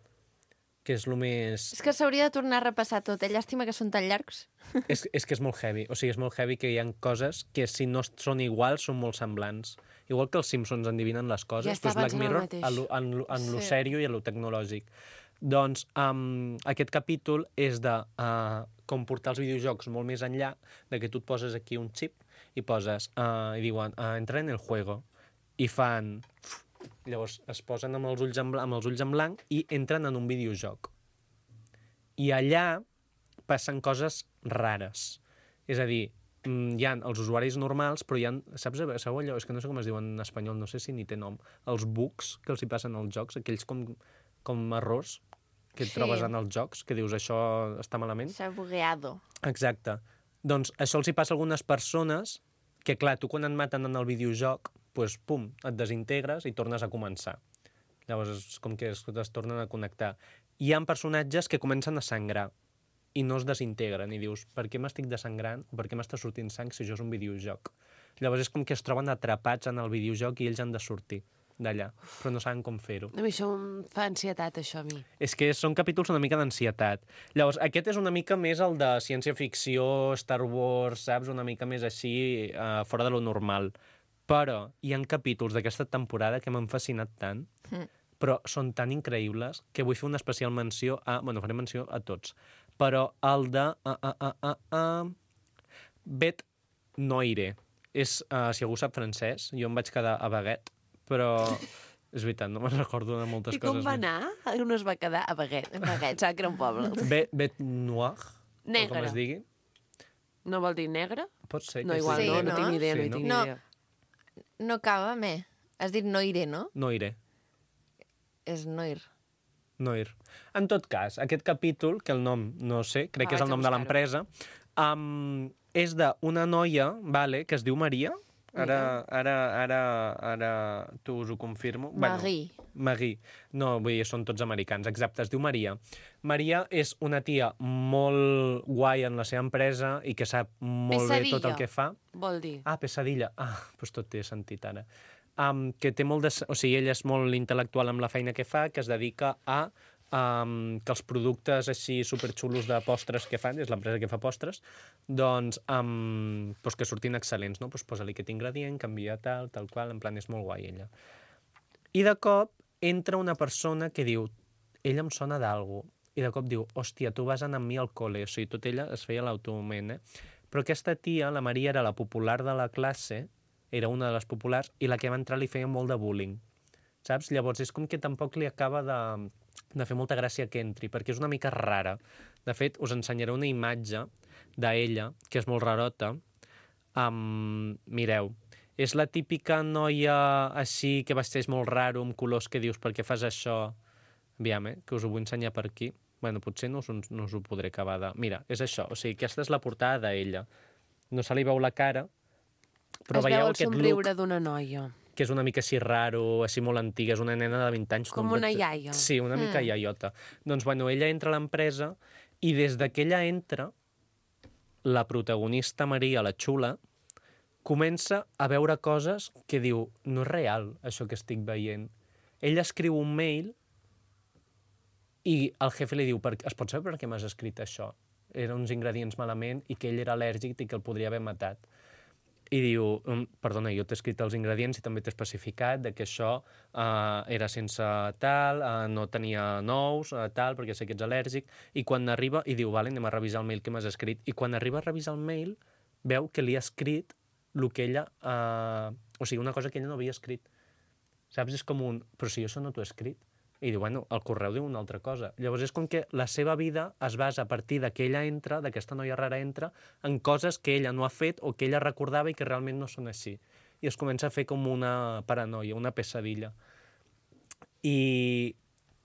que és el més... És que s'hauria de tornar a repassar tot, Llàstima que són tan llargs. És que és molt heavy, o sigui, és molt heavy que hi ha coses que si no són iguals són molt semblants. Igual que els Simpsons endivinen les coses, doncs Black Mirror en lo sèrio i en lo tecnològic. Doncs aquest capítol és de com portar els videojocs molt més enllà, de que tu et poses aquí un xip i poses, i diuen, entra en el juego, i fan... Llavors es posen amb els ulls en blanc i entren en un videojoc. I allà passen coses rares. És a dir, hi ha els usuaris normals, però hi ha, sabeu allò? És que no sé com es diuen en espanyol, no sé si ni té nom. Els bugs que els hi passen als jocs, aquells com errors que et trobes en els jocs, que dius això està malament. S'ha bugueado. Exacte. Doncs això els hi passa a algunes persones que, clar, tu quan et maten en el videojoc, doncs, pum, et desintegres i tornes a començar. Llavors és com que es tornen a connectar. Hi ha personatges que comencen a sangrar i no es desintegren i dius, per què m'estic desangrant o per què m'està sortint sang si això és un videojoc? Llavors és com que es troben atrapats en el videojoc i ells han de sortir d'allà, però no saben com fer-ho. A mi això em fa ansietat, això, a mi. És que són capítols una mica d'ansietat. Llavors, aquest és una mica més el de ciència-ficció, Star Wars, saps? Una mica més així, fora de lo normal. Però hi ha capítols d'aquesta temporada que m'han fascinat tant, però són tan increïbles que vull fer una especial menció a... Bueno, faré menció a tots. Però el de... Bet Noire. És, si algú sap francès, jo em vaig quedar a Baguette, però és veritat, no me'n recordo de moltes coses. I com va anar? On es va quedar? A Baguette. Baguette, saps que era un poble. Bet Noir, Negre. com es digui. No vol dir negre? Pot ser. No, que igual, sí, no tinc ni idea, Sí, no hi no? tinc ni No. idea. No acaba amb E. Has dit Noire, no? Noire. És Noir. Noir. En tot cas, aquest capítol, que el nom no sé, crec que és vaig el a nom de buscar-ho. l'empresa, és d'una noia, vale, que es diu Maria. Ara t'us ho confirmo. Marie. Marie. No, vull dir, són tots americans. Exacte, es diu Maria. Maria és una tia molt guai en la seva empresa i que sap molt bé tot el Pesadilla. que fa. Vol dir. Ah, pesadilla. Ah, doncs tot té sentit ara. Que té molt de... O sigui, ella és molt intel·lectual amb la feina que fa, que es dedica a que els productes així superxulos de postres que fan, és l'empresa que fa postres, doncs que surtin excel·lents, no? Doncs posa-li aquest ingredient, canvia tal qual, en plan és molt guai ella. I de cop entra una persona que diu, ella em sona d'algú, i de cop diu, hòstia, tu vas anar amb mi al col·le, o sigui, tot ella es feia l'automent, Però aquesta tia, la Maria, era la popular de la classe, era una de les populars, i la que va entrar li feia molt de bullying, saps? Llavors és com que tampoc li acaba de fer molta gràcia que entri, perquè és una mica rara. De fet, us ensenyaré una imatge d'ella, que és molt rarota. Mireu, és la típica noia així que vesteix molt raro, amb colors que dius, per què fas això? Aviam, que us ho vull ensenyar per aquí. Bueno, potser no us ho podré acabar de... Mira, és això, o sigui, aquesta és la portada d'ella. No se li veu la cara, però Es veu veieu el aquest somriure look d'una noia. que és una mica així raro, així molt antiga, és una nena de 20 anys. Com no una pot ser- iaia. Sí, una mica iaiota. Doncs, bueno, ella entra a l'empresa i des que ella entra, la protagonista Maria, la xula, comença a veure coses que diu, no és real, això que estic veient. Ella escriu un mail i el jefe li diu, es pot saber per què m'has escrit això? Eren uns ingredients malament i que ell era al·lèrgic i que el podria haver matat. I diu, perdona, jo t'he escrit els ingredients i també t'he especificat de que això era sense tal, no tenia nous, tal, perquè sé que ets al·lèrgic, i quan arriba, i diu, vale, anem a revisar el mail que m'has escrit, i quan arriba a revisar el mail, veu que li ha escrit el que ella... o sigui, una cosa que ella no havia escrit. Saps? És com un... Però si jo això no t'ho he escrit. I diu, bueno, el correu diu una altra cosa. Llavors és com que la seva vida es basa a partir de que ella entra, d'aquesta noia rara entra, en coses que ella no ha fet o que ella recordava i que realment no són així. I es comença a fer com una paranoia, una pesadilla. I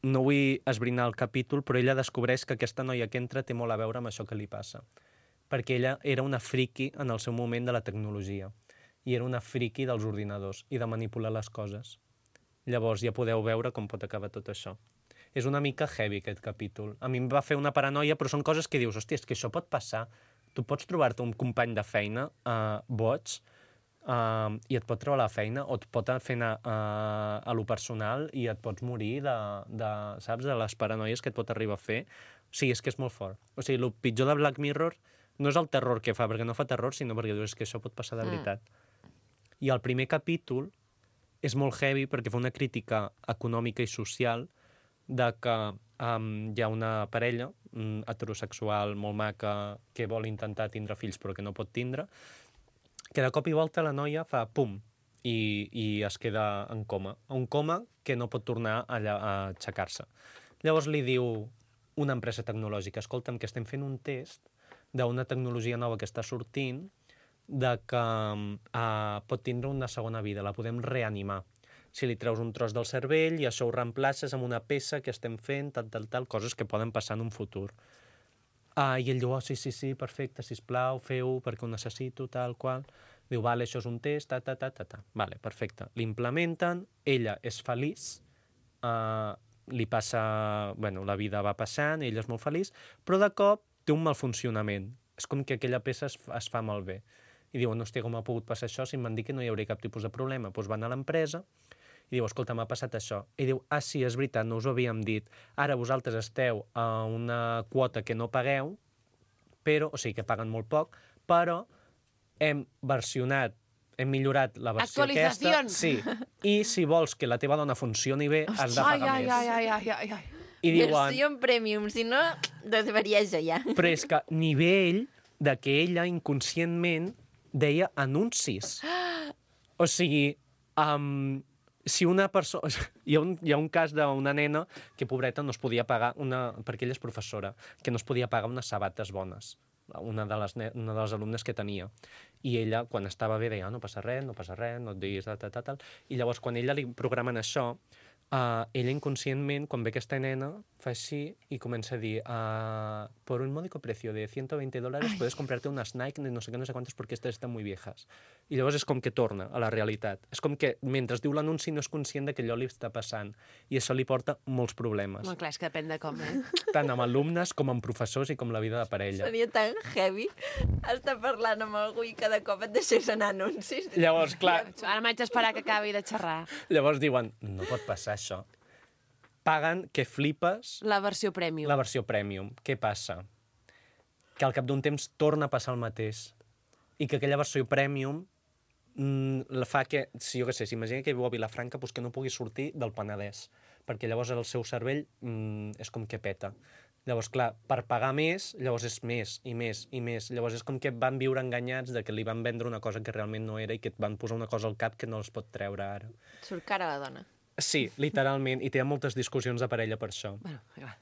no vull esbrinar el capítol, però ella descobreix que aquesta noia que entra té molt a veure amb això que li passa. Perquè ella era una friki en el seu moment de la tecnologia. I era una friki dels ordinadors i de manipular les coses. Llavors ja podeu veure com pot acabar tot això. És una mica heavy aquest capítol. A mi em va fer una paranoia, però són coses que dius, hòstia, és que això pot passar. Tu pots trobar-te un company de feina boig i et pot treure la feina o et pot fer anar a lo personal i et pots morir saps, de les paranoies que et pot arribar a fer. O sigui, és que és molt fort. O sigui, el pitjor de Black Mirror no és el terror que fa, perquè no fa terror, sinó perquè dius que això pot passar de veritat. I el primer capítol és molt heavy perquè fa una crítica econòmica i social de que hi ha una parella heterosexual molt maca que vol intentar tindre fills però que no pot tindre, que de cop i volta la noia fa pum i es queda en coma. Un coma que no pot tornar a aixecar-se. Llavors li diu una empresa tecnològica, escolta'm, que estem fent un test d'una tecnologia nova que està sortint de que pot tindre una segona vida, la podem reanimar. Si li treus un tros del cervell i això ho reemplaces amb una peça que estem fent, tal, coses que poden passar en un futur. I ell diu, sí, perfecte, sisplau, feu-ho perquè ho necessito, tal qual. Diu, vale, això és un test, Vale, perfecte. L'implementen, ella és feliç, li passa... Bueno, la vida va passant, ella és molt feliç, però de cop té un mal funcionament. És com que aquella peça es fa malbé. I diuen, hòstia, com ha pogut passar això si em van dir que no hi hauria cap tipus de problema? Doncs van a l'empresa i diu, escolta, m'ha passat això. I diu, sí, és veritat, no us ho havíem dit. Ara vosaltres esteu a una quota que no pagueu, però, o sigui, que paguen molt poc, però hem millorat la versió aquesta. Sí, i si vols que la teva dona funcioni bé, has de pagar més. I diuen, versió en premium, si no, desvarieix ja. Però és que nivell de que ella inconscientment deia anuncis. O sigui, si una persona... Hi ha un cas d'una nena que, pobreta, no es podia pagar, perquè ella és professora, que no es podia pagar unes sabates bones, una de les alumnes que tenia. I ella, quan estava bé, deia, no passa res, no et diguis, tal. I llavors, quan ella li programen això, ella inconscientment, quan ve aquesta nena, fa així i comença a dir por un módico precio de $120 puedes comprarte unas Nike de no sé qué, no sé cuántos porque estas están muy viejas. I llavors és com que torna a la realitat. És com que mentre diu l'anunci no és conscient de que allò li està passant i això li porta molts problemes. Molt clar, és que depèn de com, Tant amb alumnes com amb professors i com la vida de parella. Seria tan heavy estar parlant amb algú i cada cop et deixés anar anuncis. Llavors, clar... Ara m'haig d'esperar que acabi de xerrar. Llavors diuen, no pot passar això. Paguen que flipes... La versió premium. La versió premium. Què passa? Que al cap d'un temps torna a passar el mateix. I que aquella versió premium la fa que, si jo què sé, s'imagina que viu a Vilafranca, doncs que no pugui sortir del Penedès, perquè llavors el seu cervell és com que peta. Llavors, clar, per pagar més, llavors és més i més i més. Llavors és com que van viure enganyats de que li van vendre una cosa que realment no era i que et van posar una cosa al cap que no els pot treure ara. Surt cara a la dona. Sí, literalment, i té moltes discussions de parella per això. Bueno, clar.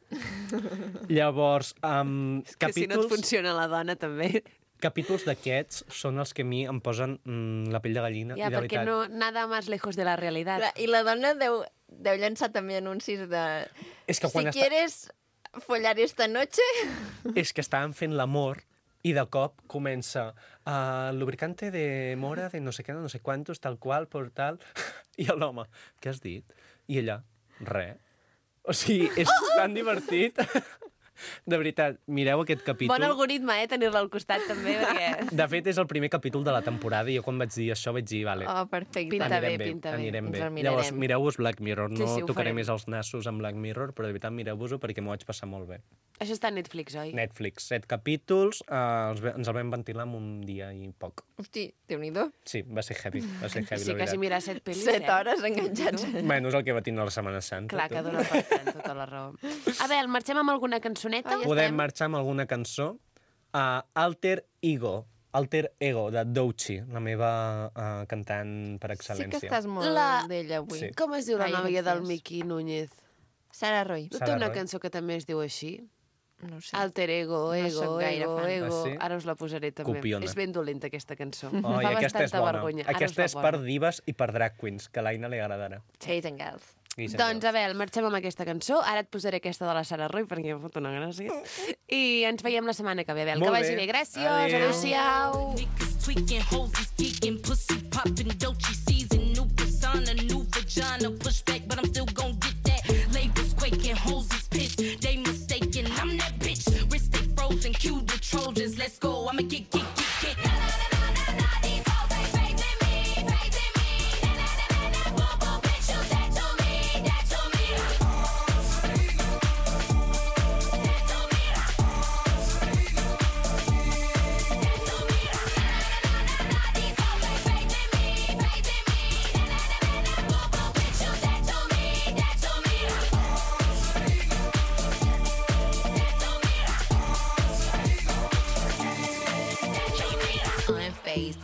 Llavors, és que si no et funciona la dona, també... Capítols d'aquests són els que a mi em posen la pell de gallina. Ja, i de perquè veritat... no, nada más lejos de la realitat. I la dona deu llançar també anuncis de... És que si quieres follar esta noche... És que estaven fent l'amor i de cop comença lubricante de mora de no sé què, no sé quantos, tal qual, por tal... I l'home, què has dit? I ella, res. O sigui, és tan divertit... De veritat, mireu aquest capítol. Bon algoritme, tenir-la al costat, també, perquè... De fet, és el primer capítol de la temporada i jo quan vaig dir això vaig dir, vale, oh, perfecte. Pinta bé. Anirem bé. Llavors, mireu-vos Black Mirror. No sí, tocaré més els nassos amb Black Mirror, però de veritat mireu-vos-ho perquè m'ho vaig passar molt bé. Això està a Netflix, oi? Netflix, 7 capítols, ens el vam ventilar en un dia i poc. Hosti, Déu-n'hi-do. Sí, va ser heavy, sí, la veritat. quasi mirar 7 pel·lis, 7 hores enganxats. Bueno, és el que va tindre la Setmana Santa. Clar, que dona per tant, tota la raó. A veure, marxem amb alguna cançoneta? Podem marxar amb alguna cançó. Alter Ego, de Doechii, la meva cantant per excel·lència. Sí que estàs molt d'ella avui. Sí. Com es diu la nòvia del Miki Núñez? Sara Roy. No té una cançó que també es diu així? No sé. Alter Ego, ego. Sí? Ara us la posaré també. Copiona. És ben dolenta aquesta cançó. Oh, Fa aquesta és bastanta bona. vergonya. Aquesta és per divas i per drag queens, que a l'Aina li agradarà. Chasing Girls. Doncs, a veure, marxem amb aquesta cançó. Ara et posaré aquesta de la Sara Roy, perquè em fot una gràcia. I ens veiem la setmana que ve. Abel, que vagi bé. Gràcies. Adéu-siau. Tweaking, hoes is geeking, pussy popping, Doechii season, new persona, new vagina, push back, but I'm still gon' get that. Labels quaking, hoes is pissed, they mistaken, I'm that bitch. Wrist stay frozen, cue the Trojans, let's go, I'ma get. Na na na na na, these hoes ain't facing me. Na na na na, boom boom, bitch, you that to me. That to me.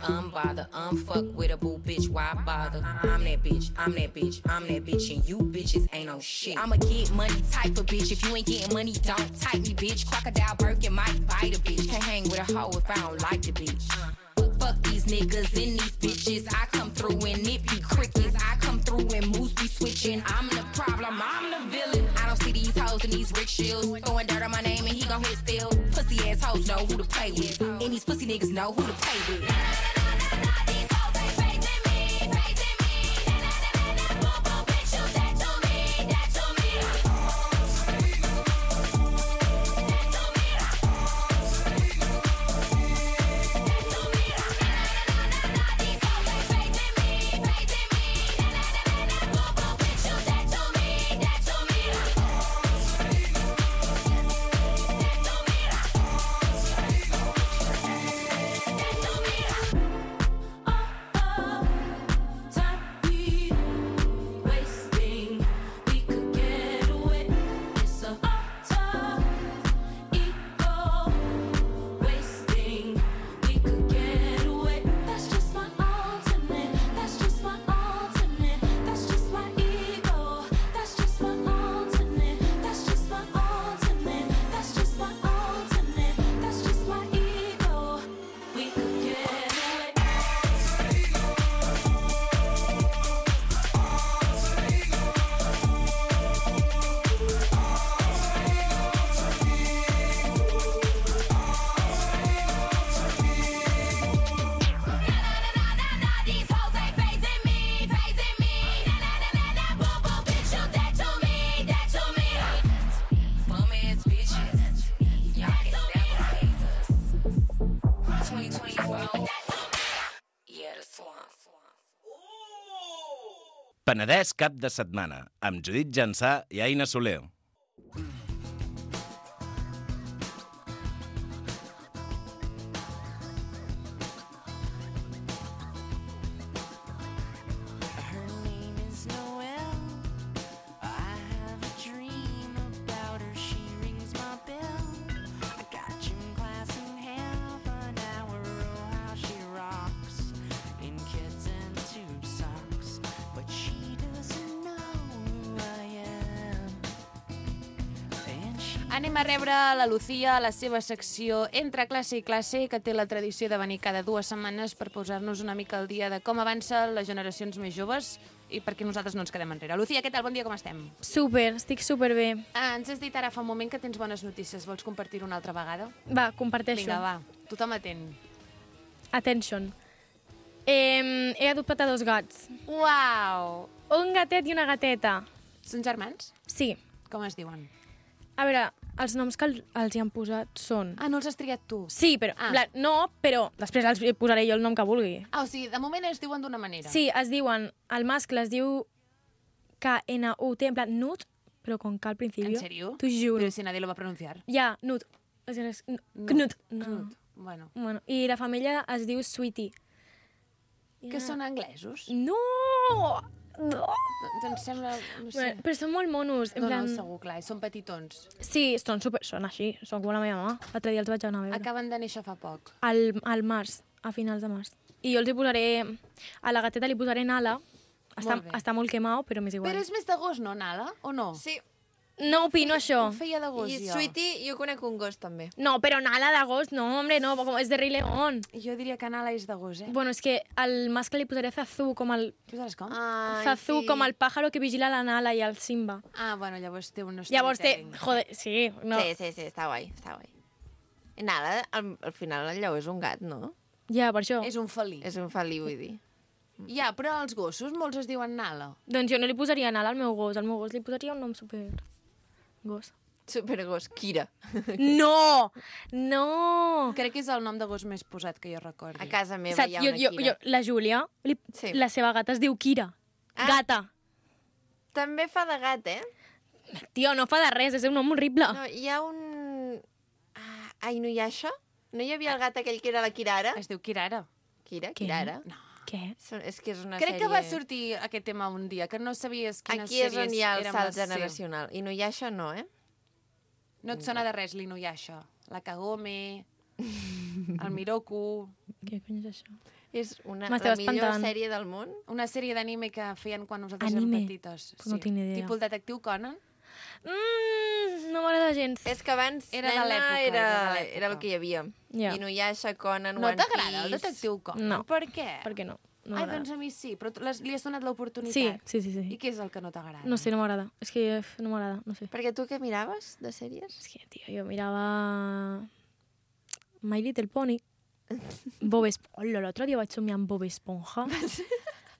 Unbothered, unfuck with a boo bitch, why bother? I'm that bitch, and you bitches ain't no shit. I'm a get money type of bitch, if you ain't getting money, don't type me, bitch. Crocodile Birkin might bite a bitch, can't hang with a hoe if I don't like the bitch. Fuck these niggas and these bitches, I come through and it be crickets. I come through and moves be switching. I'm the problem, I'm the villain. I don't see these hoes in these rickshaws throwing dirt on my name and he gon' hit still. Pussy ass hoes know who to play with, and these pussy niggas know who to play with. These hoes ain't facing me. Boom boom, bitch, you that to me. That to me. That to me. Penedès cap de setmana, amb Judit Jansà i Aina Soler. Anem a rebre la Lucía a la seva secció Entre classe i classe, que té la tradició de venir cada 2 setmanes per posar-nos una mica al dia de com avancen les generacions més joves i perquè nosaltres no ens quedem enrere. Lucía, què tal? Bon dia, com estem? Súper, estic superbé. Ens has dit ara fa un moment que tens bones notícies. Vols compartir-ho una altra vegada? Va, comparteixo. Vinga, va. Tothom atent. Attention. He adoptat a 2 gats. Uau! Un gatet i una gateta. Són germans? Sí. Com es diuen? A veure, els noms que els hi han posat són... Ah, no els has triat tu? Sí, però... No, però després els posaré jo el nom que vulgui. Ah, o sigui, de moment es diuen d'una manera. Sí, es diuen... El mascle es diu K-N-U-T, en plan Nut, però con K al principi. ¿En serio? T'ho juro. Pero si nadie lo va a pronunciar. Ja, Nut. Knut. Knut. Bueno. I la família es diu Sweetie. Que són anglesos? No! Em sembla... No sé. Però són molt monos. En plan... No, segur, clar. Són petitons. Sí, són així. Són com la meva mama. L'altre dia els vaig anar a veure. Acaben de néixer fa poc. Al març, a finals de març. I jo els hi posaré... A la gateta li posaré Nala. Està molt quemat, però m'és igual. Però és més de gos, no, Nala? O no? Sí. No opino això. Ho feia de gos, I jo. Sweetie, jo conec un gos, també. No, però Nala de gos, no, hombre, no, és de Rei León. Jo diria que Nala és de gos, eh? Bueno, és que al mascle li posaré Zazú com el... Què saps com? Zazú com el pájaro que vigila la Nala i el Simba. Ah, bueno, llavors té un Llavors té... storytelling. Joder, sí. No. Sí, està guai, està guai. I Nala, al final el lleó és un gat, no? Ja, per això. És un felí. És un felí, vull dir. Ja, però els gossos molts es diuen Nala. Doncs jo no li posaria Nala al meu gos. Al meu gos li posaria un nom super... gos. Supergos, Kira. No! No! Crec que és el nom de gos més posat que jo recordi. A casa meva hi ha una Kira. La Júlia, Sí. la seva gata es diu Kira. Gata. També fa de gat, eh? Tio, no fa de res, és un nom horrible. No, hi ha un... Inuyasha? No hi havia el gat aquell que era la Kirara? Es diu Kirara. Kirara? No. Què? És que és una Crec sèrie... que va sortir aquest tema un dia, que no sabies quines Aquí és sèries on hi ha el érem salt les- generacional. Inuyasha no, eh? No et sona de res l'Inuyasha. La Kagome, el Miroku... Què cony és això? És la M'estava millor espantant. sèrie del món. Una sèrie d'anime que feien quan nosaltres Anime? érem petites. Pues no tinc ni idea. Tipus el detectiu Conan. No m'agrada gens. És que abans, Era de nena, l'època, era era de l'època. el que hi havia. Ja. Inuyasha, Conan, No One t'agrada el Piece... detectiu Conan? No. Per què? Per què no? No Ai, m'agrada. doncs a mi sí, però li has donat l'oportunitat. Sí. I què és el que no t'agrada? No sé, no m'agrada. És que no m'agrada, no sé. Perquè tu què miraves de sèries? És que, tio, jo mirava... My Little Pony. Bob Esponja. Hola, l'altre dia vaig somiar amb Bob Esponja.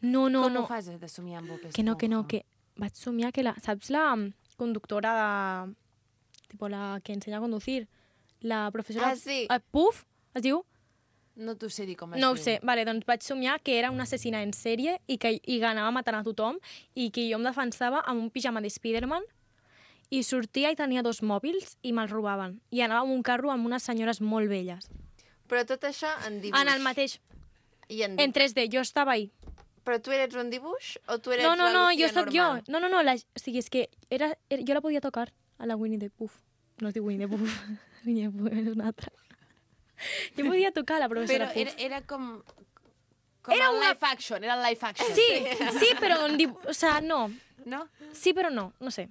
No. Com ho fas de somiar amb Bob Esponja? Que vaig somiar que la... Saps la conductora de... Tipo la que ensenya a conducir? La professora... Ah, sí. Puff, es diu? No t'ho sé dir com es No diu. ho sé. Vale, doncs vaig somiar que era una assassina en sèrie i que anava matant a tothom i que jo em defensava amb un pijama de Spiderman i sortia i tenia 2 mòbils i me'ls robaven. I anava amb un carro amb unes senyores molt velles. Però tot això en dibuix. En el mateix. I en En 3D. Jo estava ahí. Però tu eres un dibuix o tu eres No, la Lucía jo sóc jo. normal? No, o sigui, és que jo la podia tocar a la Winnie the Pooh. No es diu Winnie the Pooh. Winnie the Pooh és una altra. Jo podia tocar la professora Però Puff. era com Era el una- live action, era el live action. Sí, però o sea, no. No? Sí, però no sé.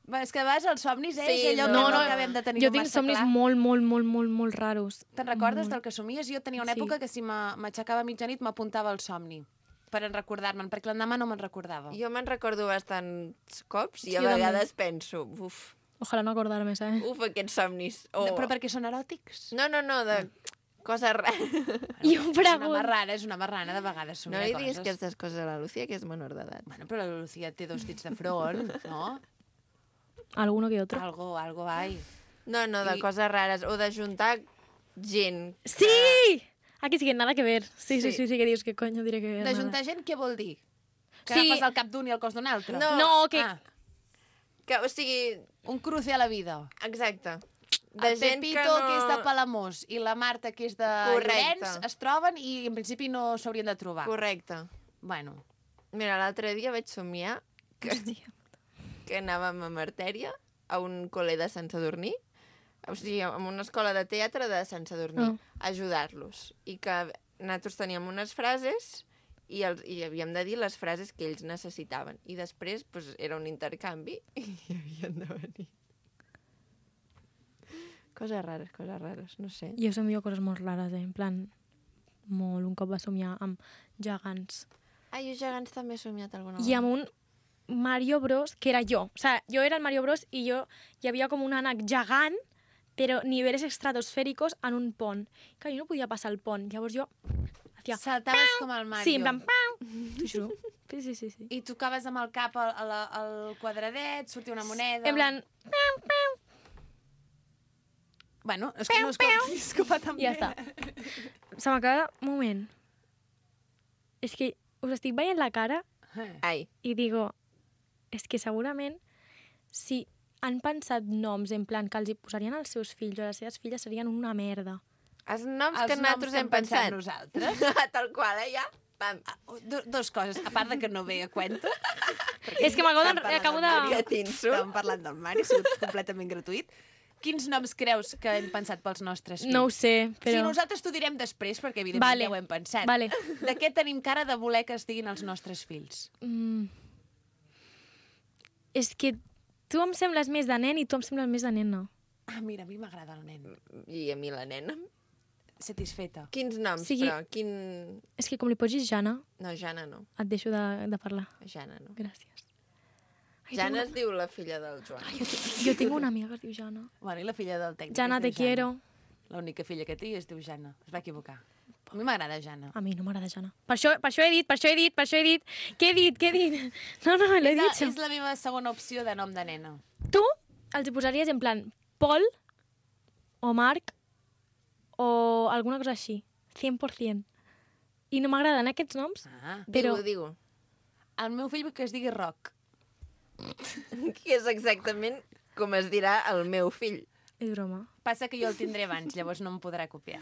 Va, és que a vegades els somnis, Sí, és allò no, que no no. acabem de tenir Jo tinc massa somnis clar. molt raros. Te'n recordes del que somies? Jo tenia una Sí. època que si m'aixecava a mitjanit m'apuntava al somni per recordar-me'n, perquè l'endemà no me'n recordava. Jo me'n recordo bastants cops i a Jo també. vegades penso, Ojalà no acordar-me, ¿sabes? aquests somnis. O... Però perquè són eròtics? No, de coses rares. I ho És una marrana, de vegades No somia li coses. diguis aquestes coses a la Lucía, que és menor d'edat. Bueno, però la Lucía té 2 dits de front, no? Alguno que otro. Algo hay. No, de I- coses rares. O de juntar gent. Sí! Aquí sí que nada que ver. Sí, que dius, que coño diré que ver. D'ajuntar gent, què vol dir? Que Sí. agafes el cap d'un i el cos d'un altre? No, que... Que, o sigui... Un cruce a la vida. Exacte. El Pepito, que és de Palamós, i la Marta, que és de Llorenç, es troben i en principi no s'haurien de trobar. Correcte. Bueno. Mira, l'altre dia vaig somiar que anàvem a Martèria, a un col·le de Sant Sadurní, o sigui, a una escola de teatre de Sant Sadurní, a ajudar-los. I que nosaltres teníem unes frases i havíem de dir les frases que ells necessitaven. I després pues, era un intercanvi i havien de venir. Coses rares, no sé. Jo somio coses molt rares, en plan... Molt. Un cop va somiar amb gegants. Jo gegants també he somiat alguna vegada. I amb un Mario Bros, que era jo. O sea, jo era el Mario Bros i hi havia com un ànec gegant, però nivells estratosfèricos en un pont. Que jo no podia passar el pont. Llavors jo... Saltaves com el Mario. Sí, en plan... T'ho juro. Sí. I tocaves amb el cap al quadradet, sortia una moneda... En plan... Bueno, és que no és que fa tan bé. Ja està. Se m'acaba un moment. És que us estic veient la cara i digo, és que segurament si han pensat noms en plan que els hi posarien als seus fills o a les seves filles serien una merda. Els noms que nosaltres hem pensat. Nosaltres. Tal qual, ja. Pam. Dos coses, a part de que no ve a cuento. És que acabo de... Estàvem parlant del Mari, ha sigut completament gratuït. Quins noms creus que hem pensat pels nostres fills? No ho sé, però... Sí, nosaltres t'ho direm després, perquè evidentment ja ho hem pensat. Vale. De què tenim cara de voler que estiguin els nostres fills? És que tu em sembles més de nen i tu em sembles més de nena. Ah, mira, a mi m'agrada el nen. I a mi la nena. Satisfeta. Quins noms, però? És que com li posis Jana... No, Jana no. Et deixo de parlar. Jana no. Gràcies. Jana es diu la filla del Joan. Jo tinc una amiga que es diu Jana. Bueno, i la filla del tècnic. Jana, te quiero. L'única filla que té es diu Jana. Es va equivocar. A mi m'agrada Jana. A mi no m'agrada Jana. Per això he dit. Què he dit? No, l'he dit. És la meva segona opció de nom de nena. Tu els hi posaries en plan Pol o Marc o alguna cosa així. 100%. I no m'agraden aquests noms, però... Digue-ho. El meu fill vull que es digui Roc. Que és exactament com es dirà el meu fill. És broma. Passa que jo el tindré abans, llavors no em podrà copiar.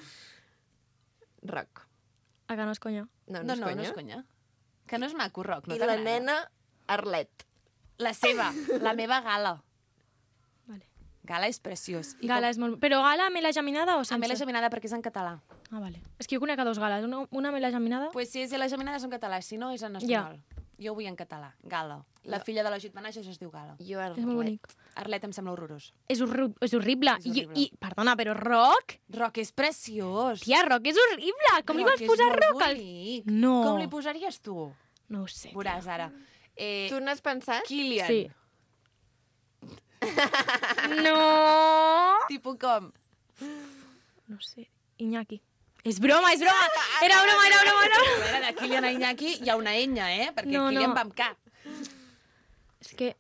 Roc. A que no és conya? No és conya. Que no és maco, Roc, no t'agrada? I la nena, Arlet. La seva, la meva Gala. Vale. Gala és preciós. Gala és molt... Però Gala amb la geminada o sense? Amb la geminada perquè és en català. Ah, vale. És que jo conec a dos Gales. Una amb la geminada... Pues si és la geminada és en català, si no és en espanyol. Jo ho vull en català. Gala. La filla de la Jut Manages es diu Gala. Jo Arlet. És molt bonic. Arlet em sembla horrorós. És horrible. I, perdona, però Roc? Roc és preciós. Tia, Roc és horrible. Com li vols posar Roc? No. Com li posaries tu? No ho sé. Veuràs ara. Tu n'has pensat? Kilian. Sí. No. Tipo com? No sé. Iñaki. És broma! Era broma! A veure, de Kilian a Iñaki hi ha una enya, perquè Kilian va amb K. És que...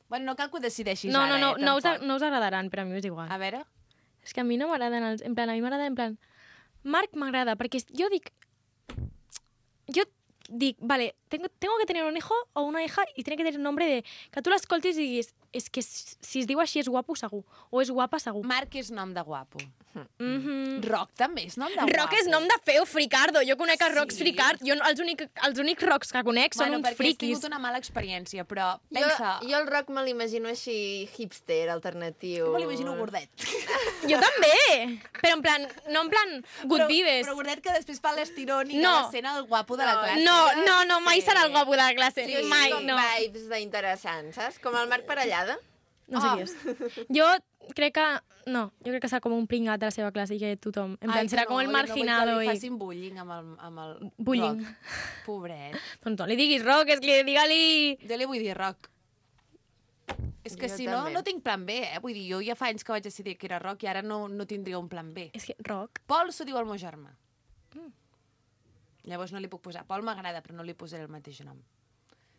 Bueno, no cal que ho decideixis ara, tampoc. No us agradaran, però a mi és igual. A veure? És que a mi no m'agraden els... En plan, a mi m'agrada en plan... Marc m'agrada, perquè jo dic, vale, tengo que tener un hijo o una hija y tiene que tener un nombre de... Que tu l'escoltis i diguis, és que si es diu així és guapo segur, o és guapa segur. Marc és nom de guapo. Roc també és nom de guapo. Roc és nom de feo, fricardo. Jo conec a Rocs fricard. Jo els únics Rocs que conec són uns friquis. Perquè has tingut una mala experiència, però pensa... Jo el Roc me l'imagino així hipster, alternatiu. Me l'imagino gordet. Jo també! Però en plan, no en plan good vibes. Però gordet que després fa l'estirón i acaba sent el guapo de la classe. No, mai serà el guapo de la classe. Sí, mai, com vibes d'interessants, saps? Com el Marc Parellada. No sé qui és. Jo crec que serà com un pringat de la seva classe i que tothom... En plan, serà com el marginado. No vull que li facin bullying amb el bullying. Roc. Pobret. Doncs no li diguis Roc, és que digue-li... Jo li vull dir Roc. És que si no, no tinc plan B, Vull dir, jo ja fa anys que vaig decidir que era Roc i ara no tindria un plan B. És que Roc... Pol s'ho diu el meu germà. Llavors no li puc posar. Pol m'agrada, però no li posaré el mateix nom.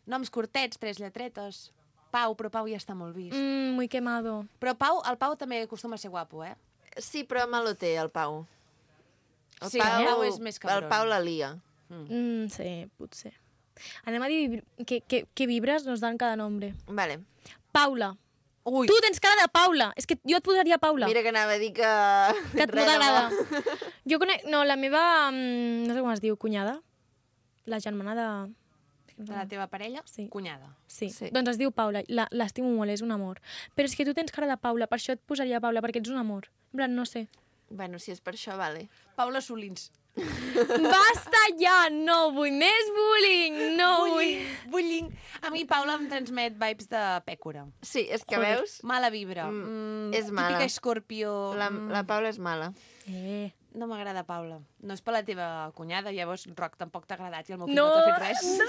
Noms curtets, 3 lletretes... Pau, però Pau ja està molt vist. Muy quemado. Però el Pau també acostuma a ser guapo, Sí, però malo té, el Pau. El Pau és més cabron. El Pau la lia. Sí, potser. Anem a dir què vibres nos dan cada nombre. Vale. Paula. Ui. Tu tens cara de Paula. És que jo et posaria Paula. Mira que anava a dir que... Que et no t'agrada. Jo conec... No, la meva... No sé com es diu, cunyada. La germana de... De la teva parella? Sí. Cunyada. Sí. Doncs es diu Paula. L'estimo molt, és un amor. Però és que tu tens cara de Paula, per això et posaria Paula, perquè ets un amor. En plan, no sé. Bueno, si és per això, vale. Paula Solins. Basta ja! No vull més bullying! No vull... Bullying. A mi Paula em transmet vibes de pècora. Sí, és que veus... Mala vibra. És mala. Típica escorpió. La Paula és mala. No m'agrada Paula. No és per la teva cunyada, llavors Roc tampoc t'ha agradat i el meu fill no t'ha fet res. No.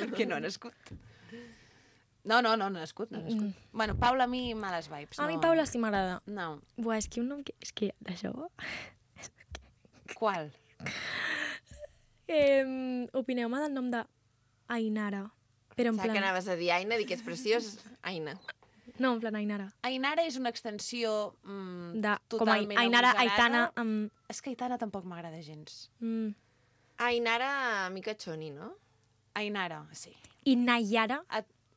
Perquè no ha nascut. No ha nascut. Bueno, Paula, a mi males vibes. A mi Paula sí m'agrada. No. Buah, és que un nom que... És que d'això... Qual? Opineu-me del nom d'Ainara. Però en plan... que anaves a dir Aina, dir que és preciós, Aina. No, en plan Ainara. Ainara és una extensió totalment com Ainara, Aitana... És que Aitana tampoc m'agrada gens. Ainara, mica xoni, no? Ainara, sí. I Nayara?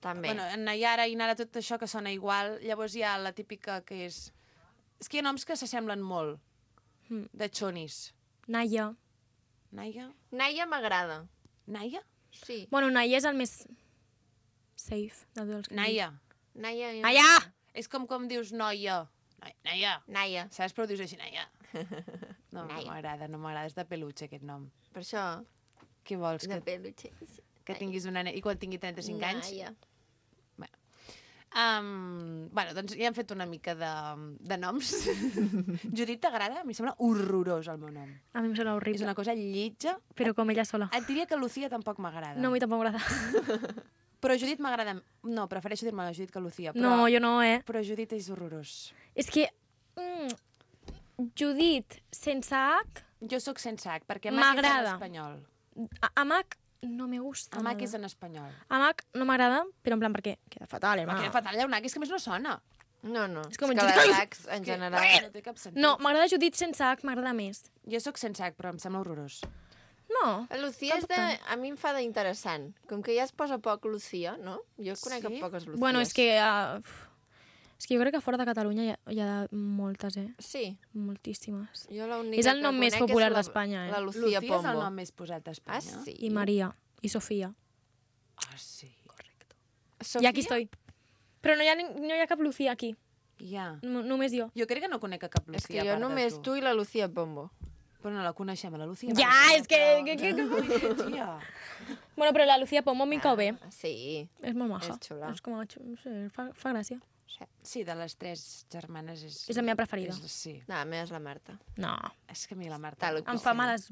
També. Bueno, Nayara, Ainara, tot això que sona igual. Llavors hi ha la típica que és... És que hi ha noms que s'assemblen molt. De xonis. Naya. Naya? Naya m'agrada. Naya? Sí. Bueno, Naya és el més safe de tots els que Naya. Naya! És com dius noia. Naya. Saps? Però dius així, Naya. No m'agrada, és de peluche aquest nom. Per això... Què vols? De peluche. Que tinguis una nena... I quan tingui 35 anys? Naya. Bueno, doncs ja hem fet una mica de noms. Judit, t'agrada? A mi sembla horrorós el meu nom. A mi em sembla horrible. És una cosa lletja. Però com ella sola. Et diria que Lucía tampoc m'agrada. No, a mi tampoc m'agrada. Però Judit m'agrada... No, prefereixo dir-me la Judit que Lucía. Però... No, jo no, Però Judit és horrorós. És que... Judit sense H... Jo sóc sense H, perquè Mac és en espanyol. Amac no me gusta. Amac és en espanyol. Amac no m'agrada, però en plan perquè queda fatal, Queda fatal, hi ha un H, és que més no sona. No. És com que les Hs, en general... No té cap sentit. No, m'agrada Judit sense H, m'agrada més. Jo sóc sense H, però em sembla horrorós. No. La Lucía és de... A mi em fa d'interessant. Com que ja es posa poc Lucía, no? Jo conec poques Lucías. Bueno, és que... És que jo crec que fora de Catalunya hi ha moltes, Sí. Moltíssimes. Jo és el nom més popular d'Espanya, La Lucía Pombo. és el nom més posat d'Espanya. Ah, sí? I Maria. I Sofia. Ah, sí. Correcte. Sofia? I aquí estoy. Però no hi ha cap Lucía aquí. Ja. Només jo. Jo crec que no conec cap Lucía. És que jo només tu i la Lucía Pombo. Però no la coneixem, la Lucía. Ja, és que... Tia. Bueno, però la Lucía Pombo m'hi cau bé. Sí. És molt maja. És xula. És com a... No sé, fa gràcia. Sí, de les 3 germanes és... És la meva preferida. Sí. No, la meva és la Marta. No. És que a mi la Marta... Em fa males...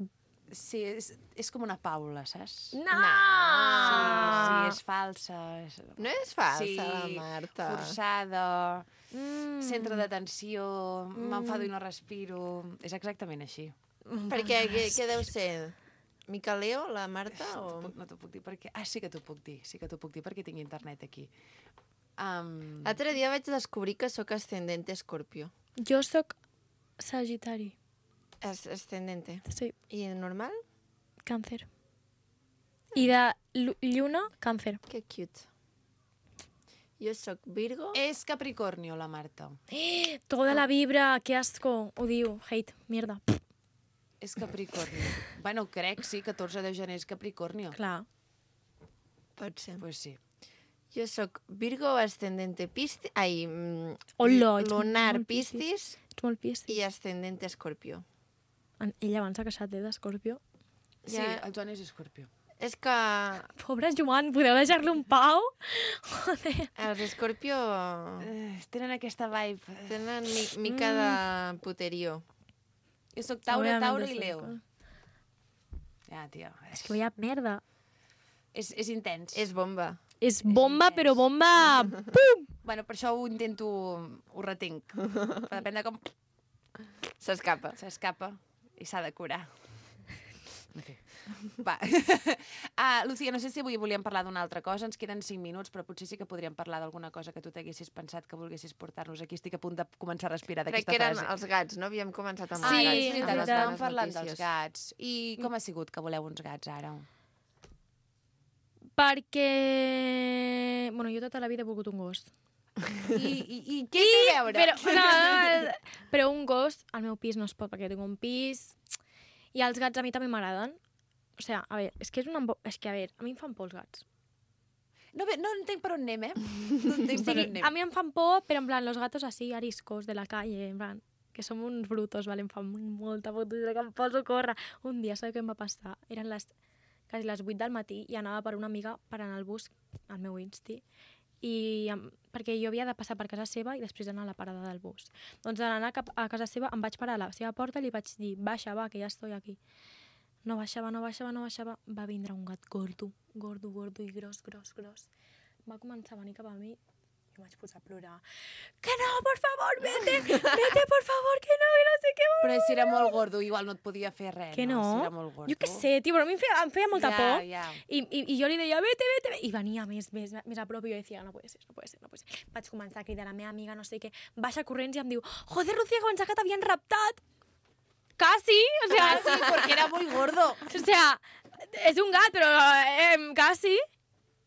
Sí, és com una Paula, saps? No! Sí, és falsa. No és falsa, la Marta. Forçada, centre d'atenció, m'enfado i no respiro... És exactament així. Perquè què deu ser? Micaleo, la Marta? No t'ho puc dir perquè... Ah, sí que t'ho puc dir. Sí que t'ho puc dir perquè tinc internet aquí. L'altre dia vaig descobrir que sóc ascendente Escorpio. Jo sóc Sagitari. Ascendente. Sí. I normal? Càncer. I de lluna, Càncer. Que cute. Jo sóc Virgo. És Capricornio, la Marta. Toda la vibra, que asco. Odio, hate, mierda. És Capricornio. Bueno, crec, sí, 14 de gener és Capricornio. Clar. Pot ser. Pues sí. Jo sóc Virgo, ascendente Piscis... Ai, lunar Piscis. Ets molt Piscis. I ascendente Escorpio. Ell abans s'ha queixat, d'Escorpio. Sí, el Joan és Escorpio. És que... Pobre Joan, podeu deixar-lo en pau? Joder. Els Escorpio... Tenen aquesta vibe. Tenen mica de puterío. Jo sóc Tauro i Leo. Ja, tia. És que vaya merda. És intens. És bomba. És bomba, però bomba... Pum! Bueno, per això ho intento... Ho retenc. Però depèn de com... S'escapa. S'escapa i s'ha de curar. Va. Lucía, no sé si avui volíem parlar d'una altra cosa, ens queden 5 minuts, però potser sí que podríem parlar d'alguna cosa que tu t'haguessis pensat que volguessis portar-nos aquí. Estic a punt de començar a respirar d'aquesta frase. Crec que eren els gats, no? Havíem començat amb els els gats. gats. Sí, estàvem parlant dels gats. I com ha sigut que voleu uns gats, ara? Perquè... Bueno, jo tota la vida he volgut un gos. I què té a veure? Però un gos, al meu pis no es pot, perquè tinc un pis... I els gats a mi també m'agraden. O sigui, a veure, és que a mi em fan por els gats. No entenc per on anem, No entenc per on anem. A mi em fan por, però en plan, los gatos así, ariscos de la calle, en plan, que som uns brutos, ¿vale? Em fan molta por, que em poso a córrer. Un dia, saps què em va passar? Eren quasi les 8 del matí i anava per una amiga per anar al bus, al meu Insti, perquè jo havia de passar per casa seva i després anar a la parada del bus. Doncs en anar cap a casa seva em vaig parar a la seva porta i li vaig dir, baixa, va, que ja estoy aquí. No baixava. Va vindre un gat gordo i gros. Va començar a venir cap a mi i em vaig posar a plorar. Que no, por favor, vete, por favor, que no sé què. Però si era molt gordo, igual no et podia fer res, que no? Si era molt gordo. Jo què sé, tio, però a mi em feia molta por. Ja. I jo li deia, vete. I venia més a prop i jo deia, no puede ser. Vaig començar a cridar a la meva amiga, no sé què. Baixa corrents i em diu, joder, Lucía, que pensava que t'havien raptat. Casi, o sea... Casi, porque era muy gordo. O sea, es un gat, pero casi.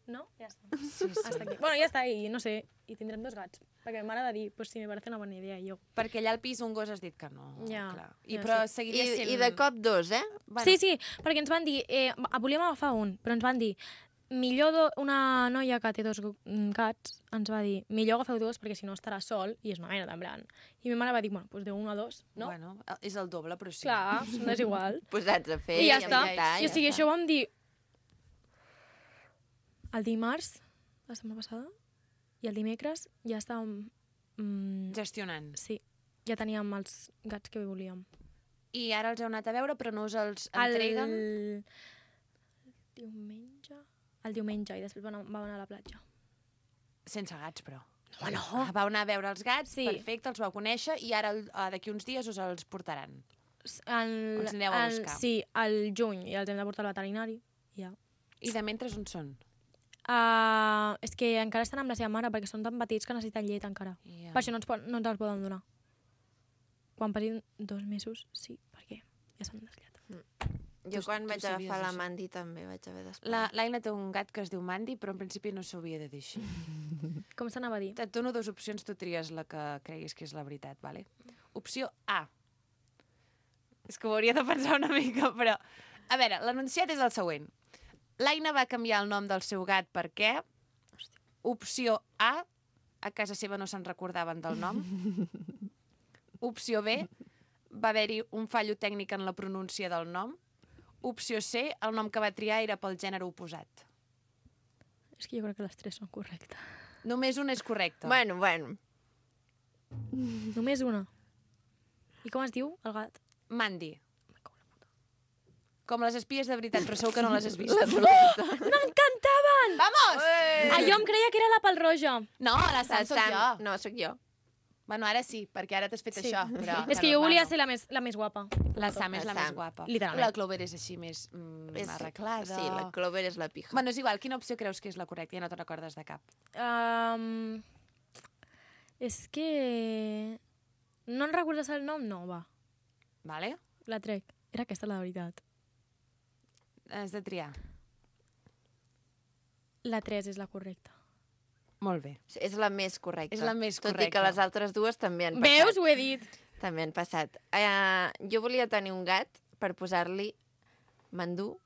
¿No? Ya está. Sí. Hasta aquí. Bueno, ya está, i no sé, i tindrem 2 gats. Perquè m'agrada dir, pues sí, me parece una bona idea, jo. Perquè allà al pis un gos has dit que no. Ja. Clar. Però seguiria sent... I de cop 2, eh? Bueno. Sí, perquè ens van dir, volíem agafar un, però ens van dir, una noia que té 2 gats ens va dir, millor agafeu 2 perquè si no estarà sol i és una mena de blan. I ma mare va dir, bueno, doncs de 1 a 2, no? Bueno, és el doble, però sí. Clar, no és igual. Posats a fer i ja està. I o sigui, això ho vam dir el dimarts, la setmana passada, i el dimecres ja estàvem... gestionant. Sí, ja teníem els gats que volíem. I ara els heu anat a veure, però no us els entreguen? El diumenge, i després vam anar a la platja. Sense gats, però. No. Vau anar a veure els gats, sí. Perfecte, els vau conèixer, i ara d'aquí uns dies us els portaran. Els aneu a buscar. Sí, al juny, i els hem de portar al veterinari. Ja. I de mentre on són? És que encara estan amb la seva mare, perquè són tan petits que necessiten llet encara. Yeah. Per això no ens els poden donar. Quan passin 2 mesos, sí, perquè ja s'han desliat. Jo quan vaig agafar la Mandy també vaig haver d'esperar. L'Aina té un gat que es diu Mandy, però en principi no s'hauria de dir així. Com s'anava a dir? Et dono 2 opcions, tu tries la que creguis que és la veritat, vale? Opció A. És que ho hauria de pensar una mica, però... A veure, l'anunciat és el següent. L'Aina va canviar el nom del seu gat perquè... Opció A. A casa seva no se'n recordaven del nom. Opció B. Va haver-hi un fallo tècnic en la pronúncia del nom. Opció C, el nom que va triar era pel gènere oposat. És que jo crec que les 3 són correctes. Només una és correcta. Bueno. Només una. I com es diu, el gat? Mandy. Com les espies de veritat, però segur que no les has vist. M'encantaven! Vamos! Jo em creia que era la Pelroja. No, la Sam soc jo. No, soc jo. Bueno, ara sí, perquè ara t'has fet això. Però, és que jo volia ser la més guapa. La Sam és la més guapa. Literalment. La Clover és així més arreglada. Sí, la Clover és la pija. Bueno, és igual, quina opció creus que és la correcta? Ja no te'n recordes de cap. És que... No en recordes el nom? No, va. Vale. La trec. Era aquesta la veritat. Has de triar. La 3 és la correcta. Molt bé. És la més correcta. És la més correcta. Tot i que les altres 2 també han passat. Veus? Ho he dit. També han passat. Jo volia tenir un gat per posar-li Mandú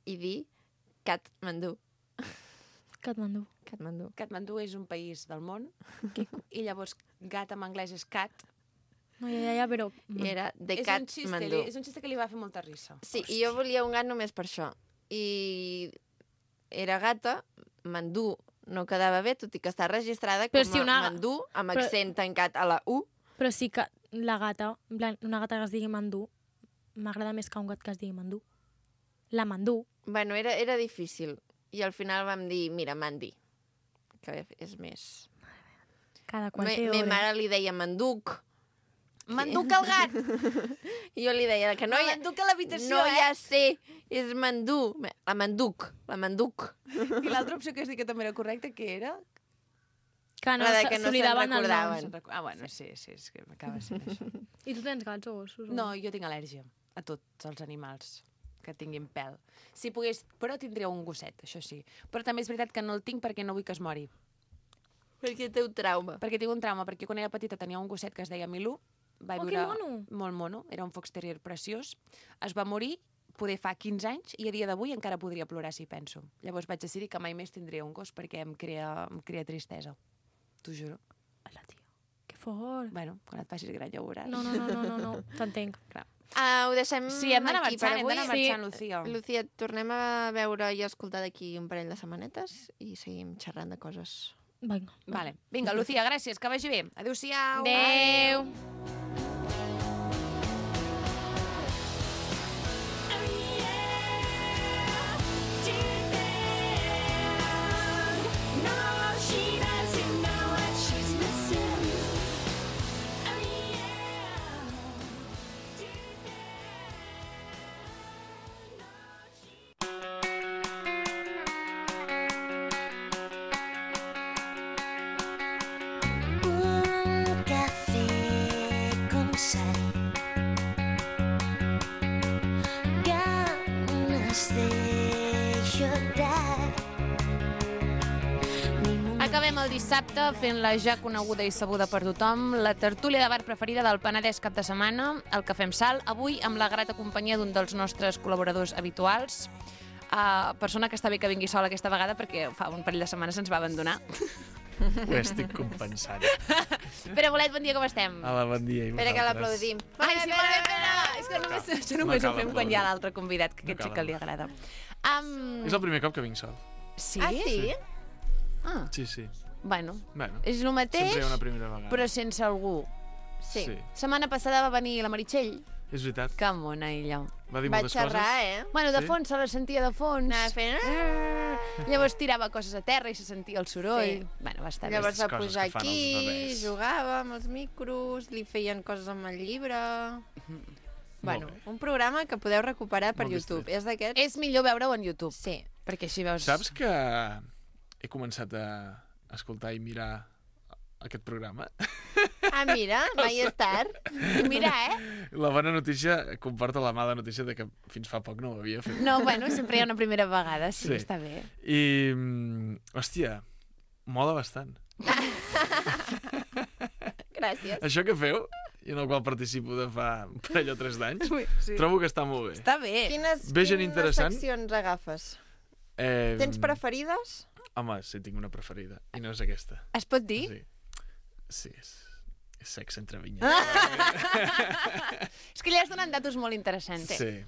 i dir Katmandú. Katmandú. Katmandú és un país del món i llavors gat en anglès és cat. No, ja, però... I era de Katmandú. És un xiste que li va fer molta risa. Sí, i jo volia un gat només per això. I era gata, Mandú no quedava bé, tot i que està registrada com a Mandú, amb accent tancat a la U. Però sí que la gata, una gata que es digui Mandú, m'agrada més que un gat que es digui Mandú. La Mandú. Bueno, era difícil. I al final vam dir, mira, Mandy, que és més... Cada qual té hores. Ma mare li deia Manduc. M'enduc el gat. I jo li deia que no hi ha... M'enduc a l'habitació, No hi ha C, és mandú. La manduc. I l'altra opció que has dit que també era correcta, què era? Que no, La de que no se'n s'oblidaven el nom. recordaven. Ah, bueno, sí, és que m'acaba sent això. I tu tens gats o gossos? o No, jo tinc al·lèrgia a tots els animals que tinguin pèl. Si pogués, però tindria un gosset, això sí. Però també és veritat que no el tinc perquè no vull que es mori. Perquè té un trauma. Perquè tinc un trauma, perquè quan era petita tenia un gosset que es deia Milú. Va Oh, que viure mono! molt mono, era un fox terrier preciós. Es va morir, poder fa 15 anys, i a dia d'avui encara podria plorar si penso. Llavors vaig decidir que mai més tindria un gos perquè em crea tristesa. T'ho juro. Hola, tio. Que fort. Bueno, quan et facis gran ja ho veuràs. No. T'entenc. Clar. Ho deixem Sí, hem d'anar aquí per marxant, avui. Lucía. Lucía, tornem a veure i a escoltar d'aquí un parell de setmanetes i seguim xerrant de coses. Vinga. Vale. Vinga, Lucía, gràcies, que vagi bé. Adéu-siau. Adéu. Un café con sal, ganas de llorar. Acabem el dissabte fent la ja coneguda i sabuda per tothom, la tertúlia de bar preferida del Penedès cap de setmana, el Cafè amb Sal, avui amb la grata companyia d'un dels nostres col·laboradors habituals, persona que està bé que vingui sola aquesta vegada perquè fa un parell de setmanes ens va abandonar. Ho estic compensant. Pere Bolet, bon dia, com estem? Hola, bon dia. I Espera que vosaltres? l'aplaudim. Ai, sí, molt bé, Pere! És que només, això només No ho cal fem quan aplaudir. hi ha l'altre convidat, que No aquest sí cal que li agrada. És el primer cop que vinc sol. Sí? Ah, sí? Ah, Sí, sí. bueno, Bueno, és el mateix, sempre hi ha una primera vegada. però sense algú. Sí. Setmana passada va venir la Meritxell. És veritat. Que mona, ella. Va dir Va moltes xerrar, coses. Bueno, de Sí? fons se la sentia de fons. Anava fent... Llavors tirava coses a terra i se sentia el soroll. Sí. Bueno, va estar Llavors bé. va coses pujar que fan els aquí, bebès. jugava amb els micros, li feien coses amb el llibre... Bueno, bé. un programa que podeu recuperar per Molt YouTube. distret. És d'aquests? És millor veure-ho en YouTube. Sí. Perquè així veus... Saps que he començat a escoltar i mirar aquest programa? Ah, mira, mai és tard. Mira, La bona notícia comporta la mala notícia de que fins fa poc no ho havia fet. No, bueno, sempre hi ha una primera vegada, sí, Sí. està bé. I, hòstia, mola bastant. Gràcies. Això que feu, i en el qual participo de fa un parell o 3 d'anys, Sí. trobo que està molt bé. Està bé. Ve gent Quines interessant. seccions agafes? Eh, Tens preferides? Home, sí, tinc una preferida, i no és aquesta. Es pot dir? Sí, és sexe entre vinyes. És que li has donat datos molt interessants. Sí.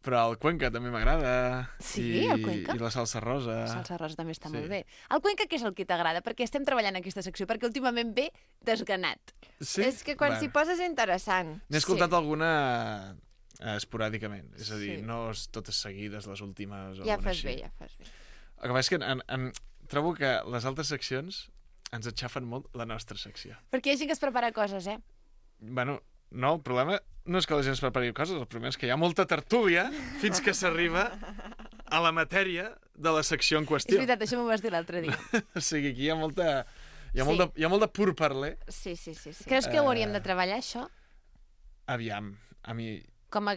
Però el Cuenca també m'agrada. Sí, el Cuenca? I la salsa rosa. La salsa rosa també està Sí. molt bé. El Cuenca, què és el que t'agrada? Perquè estem treballant aquesta secció, perquè últimament ve desganat. Sí? És que quan s'hi posa és interessant. N'he escoltat alguna esporàdicament. És a dir, Sí. no totes seguides, les últimes. O Ja alguna fas així. bé, ja fas bé. El que passa és que trobo que les altres seccions ens aixafen molt la nostra secció. Perquè hi ha gent que es prepara coses, Bueno, no, el problema no és que la gent es prepari coses, el problema és que hi ha molta tertúlia fins que s'arriba a la matèria de la secció en És qüestió. veritat, això m'ho vas dir l'altre dia. O sigui, aquí hi ha molta... Hi ha, Sí. hi ha molt de pur parler. Sí. Creus que ho hauríem de treballar, això? Aviam, a mi, Com a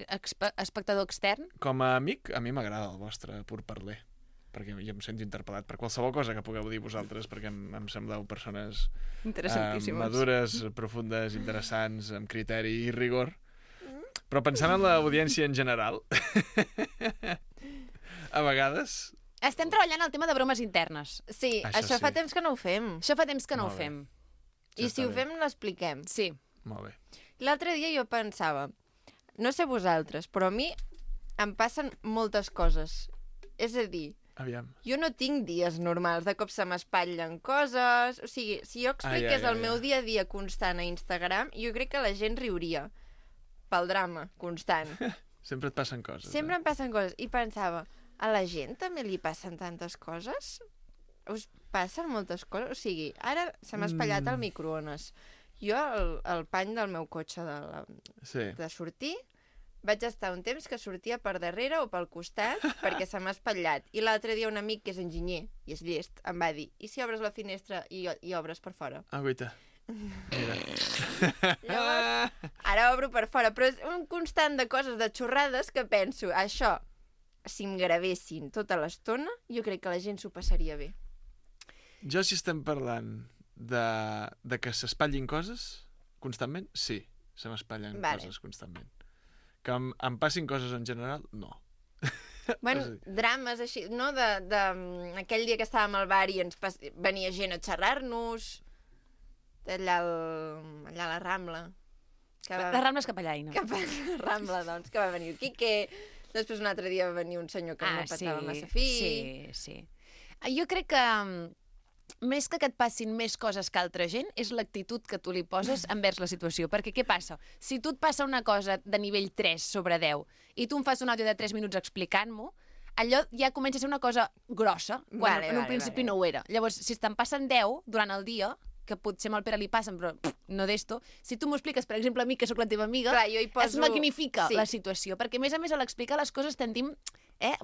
espectador extern? com a amic, a mi m'agrada el vostre pur parler. Perquè jo em sento interpel·lat per qualsevol cosa que pugueu dir vosaltres, perquè em sembleu persones Interessantíssimes. madures, profundes, interessants, amb criteri i rigor. Però pensant en l'audiència en general, a vegades... Estem treballant el tema de bromes internes. Sí, Això això sí. fa temps que no ho fem. Això fa temps que no Molt ho bé. fem. I si està ho bé. fem, l'expliquem. Sí. Molt bé. L'altre dia jo pensava, no sé vosaltres, però a mi em passen moltes coses. És a dir, Aviam. jo no tinc dies normals, de cop se m'espatllen coses... O sigui, si jo expliqués el meu dia a dia constant a Instagram, jo crec que la gent riuria pel drama constant. Sempre et passen coses. Sempre em passen coses. I pensava, a la gent també li passen tantes coses? Us passen moltes coses? O sigui, ara se m'ha espatllat el microones. Jo, el pany del meu cotxe de sortir, vaig estar un temps que sortia per darrere o pel costat perquè se m'ha espatllat. I l'altre dia un amic que és enginyer i és llest em va dir, i si obres la finestra i obres per fora? Ah, guaita. Mira. Llavors, ara obro per fora, però és un constant de coses, de xorrades, que penso, això, si em gravessin tota l'estona, jo crec que la gent s'ho passaria bé. Jo, si estem parlant de que s'espatllin coses constantment, sí, se m'espatllen coses constantment. Que em passin coses en general, no. Bueno, drames així, no? Aquell dia que estàvem al bar i venia gent a xerrar-nos, allà a la Rambla. La Rambla és cap allà, no? Cap a la Rambla, doncs, que va venir el Quique, després un altre dia va venir un senyor que no petava massa fi. Sí. Jo crec que més que et passin més coses que altra gent, és l'actitud que tu li poses envers la situació. Perquè què passa? Si tu et passa una cosa de nivell 3 sobre 10 i tu em fas un àudio de 3 minuts explicant-m'ho, allò ja comença a ser una cosa grossa, quan en un principi no ho era. Llavors, si te'n passen 10 durant el dia, que potser amb el Pere li passen, però no d'esto, si tu m'ho expliques, per exemple, a mi, que sóc la teva amiga, es magnifica la situació, perquè a més a l'explicar les coses tendim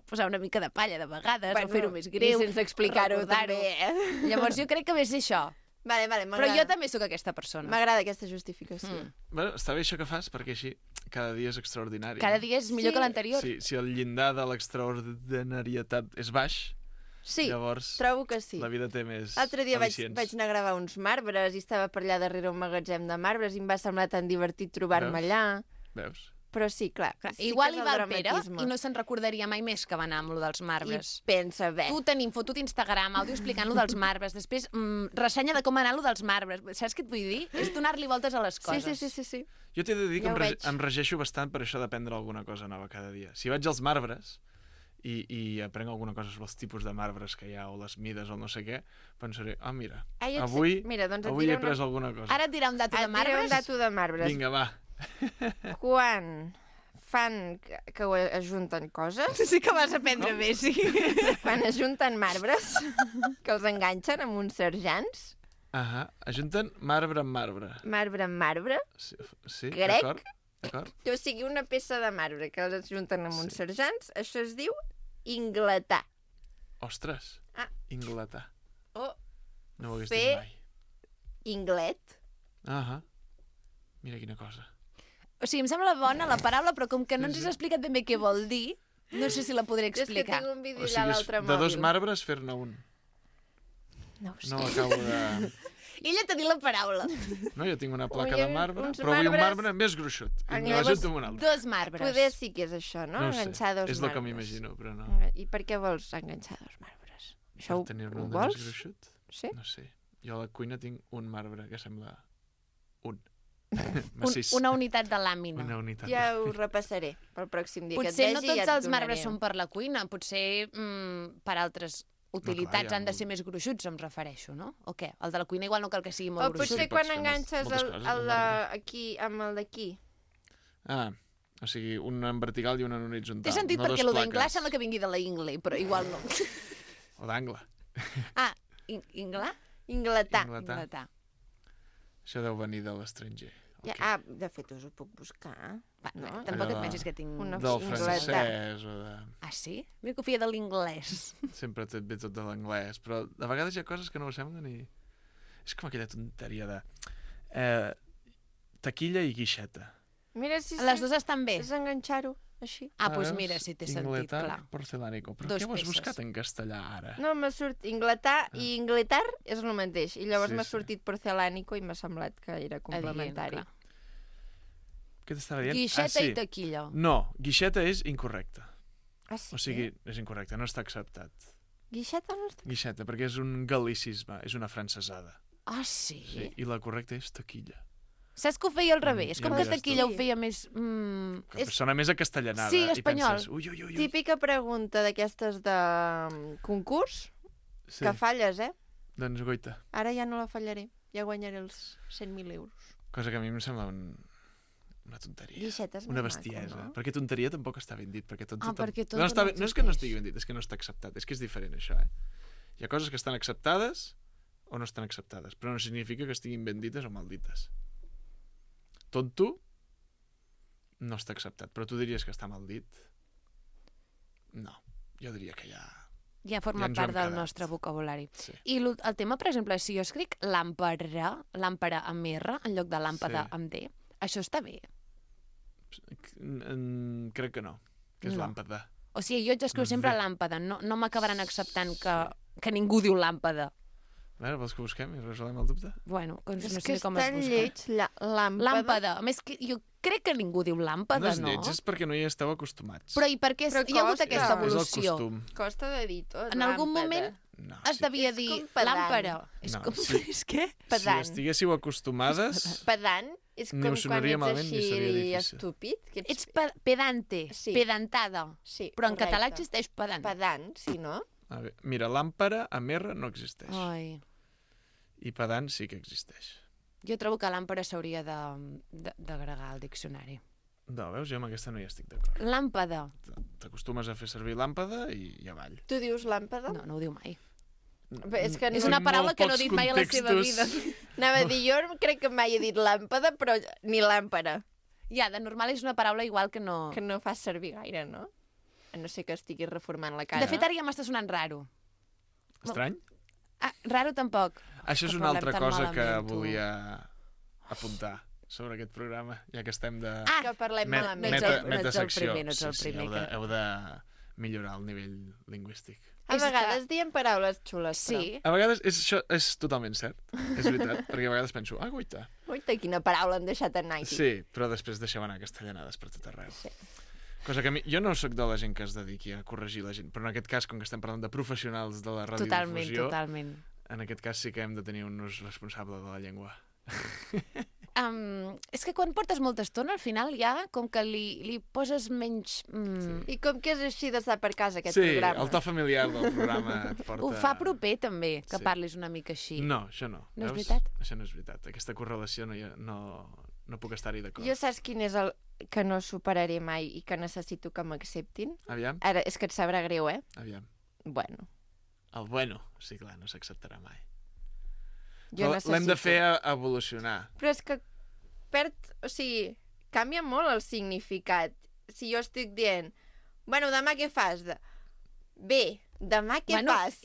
posar una mica de palla de vegades, o fer-ho més greu. I sense explicar-ho també, Llavors jo crec que ve ser això. Vale, però jo també sóc aquesta persona. M'agrada aquesta justificació. Bueno, està bé això que fas, perquè així cada dia és extraordinari. Cada dia és millor que l'anterior. Si el llindar de l'extraordinarietat és baix, llavors trobo que sí. La vida té més L'altre dia vaig al·licients. anar a gravar uns marbres i estava per allà darrere un magatzem de marbres i em va semblar tan divertit trobar-me allà. Veus? Però sí, clar. Igual hi va el Pere i no se'n recordaria mai més que va anar amb lo dels marbres. I pensa, bé. Tu tenim fotut Instagram, àudio explicant lo dels marbres, després ressenya de com anar lo dels marbres. Saps què et vull dir? És donar-li voltes a les coses. Sí. Jo t'he de dir que em regeixo bastant per això d'aprendre alguna cosa nova cada dia. Si vaig als marbres i aprenc alguna cosa sobre els tipus de marbres que hi ha o les mides o no sé què, pensaré, mira, avui he après alguna cosa. Ara et dirà un dato de marbres? Et diré un dato de marbres. Vinga, va. Quan fan que ho ajunten coses... Sí que vas aprendre bé, sí. Quan ajunten marbres, que els enganxen amb uns serjants... Ajunten marbre amb marbre. Marbre amb marbre? Sí, crec. D'acord. O sigui, una peça de marbre que els ajunten amb uns serjants, això es diu ingletar. Ostres, ingletar. O no ho hagués dit mai. Inglet. Mira quina cosa. O sigui, em sembla bona la paraula, però com que no ens has explicat ben bé què vol dir, no sé si la podré explicar. És que tinc un vídeo allà a l'altre mòbil. De dos marbres fer-ne un. No ho sé. No acabo de... Ella t'ha dit la paraula. No, jo tinc una placa de marbre, però vull un marbre més gruixut. I me l'ajunto amb un altre. Dos marbres. Poder sí que és això, no? Enganxar dos marbres. És el que m'imagino, però no. I per què vols enganxar dos marbres? Això per tenir-ne un vols? Més gruixut? Sí? No sé. Jo a la cuina tinc un marbre que sembla un. Una unitat de làmina. Una unitat. Ja ho repassaré pel pròxim dia que et vegi. Potser no tots els marbres són per la cuina, potser per altres utilitats han de ser més gruixuts, em refereixo, no? O què? El de la cuina igual no cal que sigui molt gruixut. O potser quan enganxes aquí amb el d'aquí. O sigui, un en vertical i un en horitzontal. Té sentit perquè el d'inglar sembla que vingui de la ingle, però igual no. O d'angle. Inglar? Ingletar. Això deu venir de l'estranger. De fet, us ho puc buscar. No? Tampoc et pensis que tinc... Del francès o de... Ah, sí? M'he confiat de l'inglès. Sempre et ve tot de l'anglès, però de vegades hi ha coses que no ho semblen i... És com aquella tonteria de... taquilla i guixeta. Mira si les dues estan bé. És enganxar-ho, així. Doncs mira, si té sentit, clar. Porcelànico. Però què ho has buscat en castellà, ara? No, m'ha sortit ingletar i ingletar és el mateix. I llavors m'ha sortit porcelànico i m'ha semblat que era complementari. Què t'estava dient? Guixeta i taquilla. No, guixeta és incorrecte. Sí? O sigui, és incorrecte, no està acceptat. Guixeta no està... Guixeta, perquè és un gal·licisme, és una francesada. Ah, sí? I la correcta és taquilla. Saps que ho feia al revés? Com que taquilla ho feia més... Que sona més acastellanada. Sí, espanyol. I penses, típica pregunta d'aquestes de concurs, que falles, Doncs goita. Ara ja no la fallaré, ja guanyaré els 100.000 euros. Cosa que a mi em sembla una tonteria. Guixeta és una bestiesa. Maco, no? Perquè tonteria tampoc està ben dit. Perquè perquè no és que no estigui ben dit, és que no està acceptat. És que és diferent, això, Hi ha coses que estan acceptades o no estan acceptades, però no significa que estiguin ben dites o mal dites. tonto, no està acceptat. Però tu diries que està mal dit? No, jo diria que ja... Ja forma part del nostre vocabulari. Sí. I el tema, per exemple, si jo escric làmpara amb R en lloc de làmpada amb D, això està bé? Crec que no, que és làmpada. O sigui, jo escriu sempre làmpada, no m'acabaran acceptant que ningú diu làmpada. A veure, vols que busquem i resolem el dubte? Bueno, és no que sé com és es tan busca. lleig, làmpada. Làmpada. A més, jo crec que ningú diu làmpada, no? No és lleig, és perquè no hi esteu acostumats. Però i per què hi ha hagut aquesta evolució? És el costum. Costa de dir tot, en algun moment es devia dir làmpara. És com... És què? Si estiguéssiu acostumades... Pedant és com quan ets així estúpid. Ets pedante, pedantada. Però en català existeix pedant. Pedant, sí, no? Mira, làmpara amb R no existeix. Ai... I pedant sí que existeix. Jo trobo que làmpara s'hauria d'agregar al diccionari. No, veus? Jo amb aquesta no hi estic d'acord. Làmpada. T'acostumes a fer servir làmpada i avall. Tu dius làmpada? No ho diu mai. És una paraula que no ha dit mai a la seva vida. Anava a dir, jo crec que mai he dit làmpada, però ni làmpara. Ja, de normal és una paraula igual que no... Que no fas servir gaire, no? A no ser que estiguis reformant la cara. De fet, ara ja m'està sonant raro. Estrany? Raro tampoc. Això és una altra cosa que volia apuntar sobre aquest programa, ja que estem de... que parlem malament. Metasecció. Heu de millorar el nivell lingüístic. A vegades diem paraules xules, però... Sí. A vegades això és totalment cert, és veritat, perquè a vegades penso, guaita. Guaita, quina paraula han deixat en Nike. Sí, però després deixeu anar castellanades per tot arreu. Sí. Cosa que jo no sóc de la gent que es dediqui a corregir la gent, però en aquest cas, com que estem parlant de professionals de la radiodifusió, Totalment. En aquest cas sí que hem de tenir un ús responsable de la llengua. És que quan portes molta estona, al final ja com que li poses menys... Sí. I com que és així d'estar per casa, aquest programa? Sí, el to familiar del programa et porta... Ho fa proper, també, que parlis una mica així. No, això no. No és veritat? Això no és veritat. Aquesta correlació no puc estar-hi d'acord. Jo saps quin és el que no superaré mai i que necessito que m'acceptin? Aviam. Ara, és que et sabrà greu, Aviam. Bueno. El bueno, sí, clar, no s'acceptarà mai. L'hem de fer evolucionar. Però és que o sigui, canvia molt el significat. Si jo estic dient, bueno, demà què fas? Bé, demà què fas?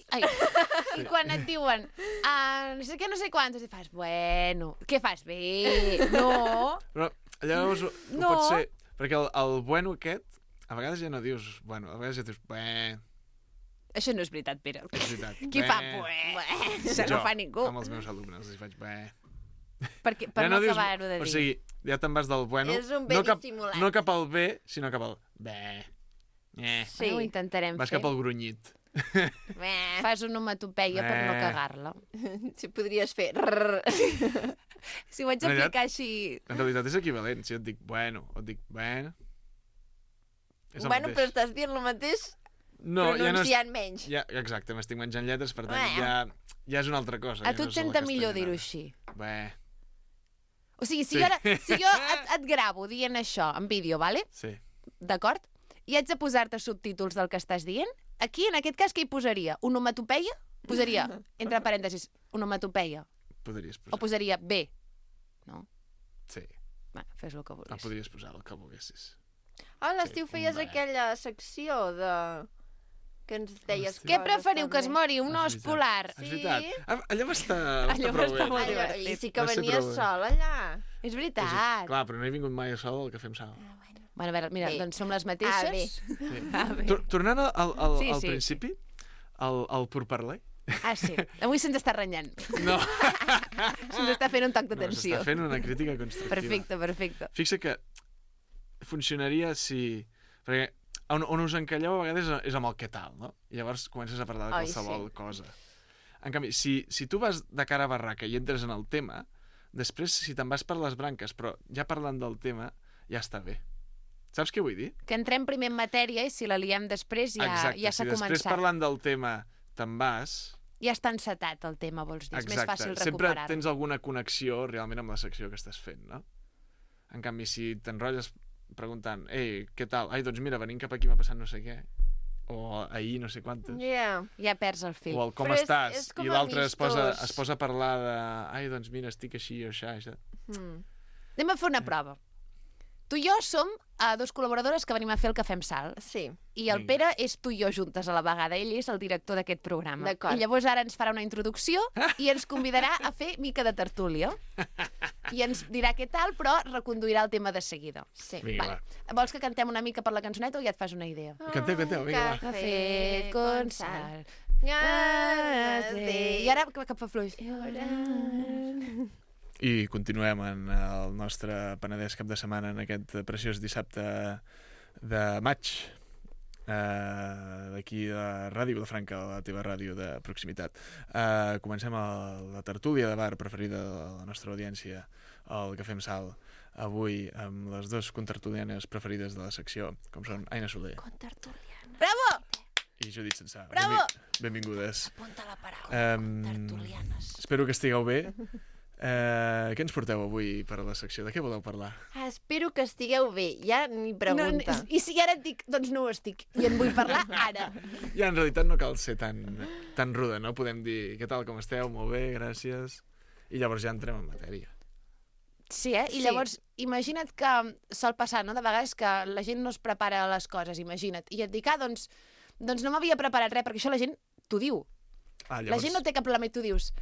I quan et diuen, no sé què, no sé quantos, i fas, bueno, què fas? Bé, no. Però llavors ho pot ser, perquè el bueno aquest, a vegades ja no dius, bueno, a vegades ja dius, bé. Això no és veritat, Pere. És veritat. Qui fa bé? Això no fa ningú. Amb els meus alumnes els faig bé. Per no acabar-ho de dir. O sigui, ja te'n vas del bueno. És un bé dissimulat. No cap al bé, sinó cap al bé. Sí, ho intentarem fer. Vas cap al grunyit. Fas una onomatopeia per no cagar-la. Si podries fer... Si ho haig d'aplicar així... En realitat és equivalent. Si et dic bueno o et dic bueno... Bueno, però estàs dient el mateix... pronunciant menys. Exacte, m'estic menjant lletres, per tant ja és una altra cosa. A tu et senta millor dir-ho així. Bé. O sigui, si jo et gravo dient això en vídeo, vale? Sí. D'acord? I haig de posar-te subtítols del que estàs dient, aquí, en aquest cas, què hi posaria? Onomatopeia? Posaria, entre parèntesis, onomatopeia. Podries posar. O posaria bé. No? Sí. Bueno, fes el que vulguis. El podries posar el que volguessis. A l'estiu feies aquella secció de... que ens deies... Què preferiu, que es mori un os polar? És veritat. Allò va estar molt divertit. I sí que venies sol allà. És veritat. Clar, però no he vingut mai a sol al Cafè amb Sal. Bueno, a veure, mira, doncs som les mateixes. Tornant al principi, el pourparler. Sí. Avui se'ns està renyant. No. Se'ns està fent un toc d'atenció. S'està fent una crítica constructiva. Perfecte. Fixa que funcionaria si... Perquè on us encalleu a vegades és amb el què tal, no? I llavors comences a parlar de qualsevol cosa. En canvi, si tu vas de cara a barraca i entres en el tema, després, si te'n vas per les branques, però ja parlant del tema, ja està bé. Saps què vull dir? Que entrem primer en matèria i si la liem després ja s'ha començat. Si després parlant del tema te'n vas... Ja està encetat el tema, vols dir. És més fàcil recuperar-lo. Sempre tens alguna connexió realment amb la secció que estàs fent, no? En canvi, si t'enrotlles preguntant, què tal? Ai, doncs mira, venint cap aquí m'ha passat no sé què. O ahir no sé quantes. Ja perds el fil. O el com estàs. I l'altre es posa a parlar de... Ai, doncs mira, estic així o això. Anem a fer una prova. Tu i jo som dos col·laboradores que venim a fer el Cafè amb Sal. Sí. I el Pere és tu i jo juntes a la vegada. Ell és el director d'aquest programa. D'acord. I llavors ara ens farà una introducció i ens convidarà a fer mica de tertúlia. I ens dirà què tal, però reconduirà el tema de seguida. Sí. Vinga, Vols que cantem una mica per la cançoneta o ja et fas una idea? Canteu, vinga, va. Cafè con sal. I ara cap a fluix. I continuem en el nostre Penedès cap de setmana en aquest preciós dissabte de maig d'aquí de Ràdio Vilafranca, la teva ràdio de proximitat. Comencem la tertúlia de bar preferida de la nostra audiència, el Cafè amb Sal, avui amb les dues contertulianes preferides de la secció, com són Aina Soler Bravo! i Judit Sensà. Bravo! Benvingudes. Apunta la paraula, tertulianes. Espero que estigueu bé. Què ens porteu avui per a la secció? De què voleu parlar? Espero que estigueu bé. Ja ni pregunta. I si ara et dic, doncs no ho estic, i en vull parlar ara. Ja, en realitat no cal ser tan ruda, no? Podem dir, què tal, com esteu? Molt bé, gràcies. I llavors ja entrem en matèria. Sí, I llavors, imagina't que sol passar, no?, de vegades que la gent no es prepara les coses, imagina't. I et dic, doncs no m'havia preparat res, perquè això la gent t'ho diu. La gent no té cap problema i tu dius...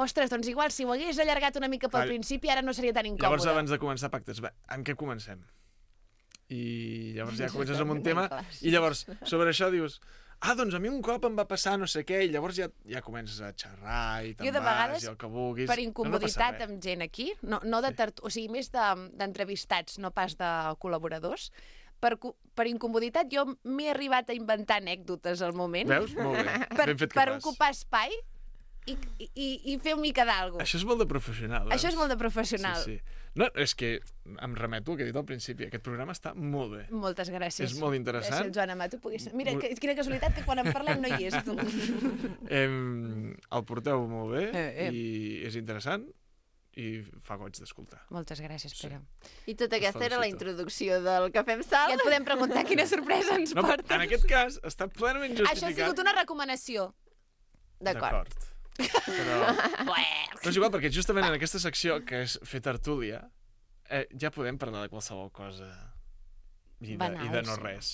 Ostres, doncs igual, si ho hagués allargat una mica pel principi, ara no seria tan incòmode. Llavors, abans de començar pactes, amb què comencem? I llavors ja comences amb un tema, i llavors, sobre això dius, doncs a mi un cop em va passar no sé què, i llavors ja comences a xerrar, i te'n vas, i el que vulguis. Per incomoditat amb gent aquí, no de o sigui, més d'entrevistats, no pas de col·laboradors, per incomoditat jo m'he arribat a inventar anècdotes al moment. Veus? Molt bé, ben fet que per ocupar espai, i fer una mica d'alguna cosa. Això és molt de professional. Això és molt de professional. Sí. No, és que em remeto al que he dit al principi. Aquest programa està molt bé. Moltes gràcies. És molt interessant. Gràcies, Joan Amato. Mira, quina casualitat que quan en parlem no hi és, tu. El porteu molt bé i és interessant i fa goig d'escoltar. Moltes gràcies, Pere. I tota aquesta era la introducció del Cafè amb Sal. Ja et podem preguntar quina sorpresa ens portes. En aquest cas està plenament justificat. Això ha sigut una recomanació. D'acord. Però és igual, perquè justament en aquesta secció, que és fer tertúlia, ja podem parlar de qualsevol cosa i de no res.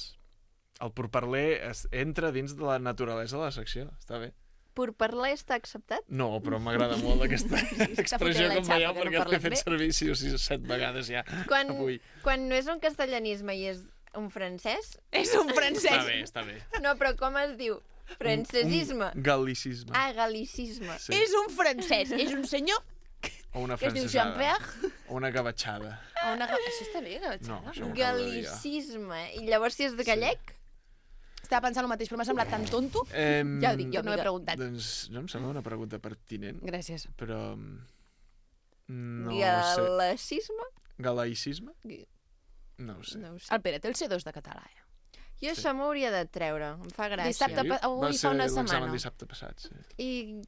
El pourparler entra dins de la naturalesa de la secció, està bé. Pourparler està acceptat? No, però m'agrada molt aquesta expressió que em veieu, perquè l'he fet servir 6 o 7 vegades ja avui. Quan no és un castellanisme i és un francès... És un francès! Està bé. No, però com es diu? Francesisme. Un gal·licisme. Gal·licisme. Sí. És un francès, és un senyor o una que es diu Jean-Pierre. O una gavatxada. Això està bé, gavatxada? No, això gal·licisme. I llavors si és de gallec? Estava pensant el mateix, però m'ha semblat tan tonto. Ja ho dic, jo no he preguntat. Doncs no em sembla una pregunta pertinent. Gràcies. Però... no Galacisme? Galaïcisme? No ho sé. El Pere té el C2 de català, Jo això m'hauria de treure, em fa gràcia. Dissabte, avui fa una setmana. Va ser dissabte passat, sí. I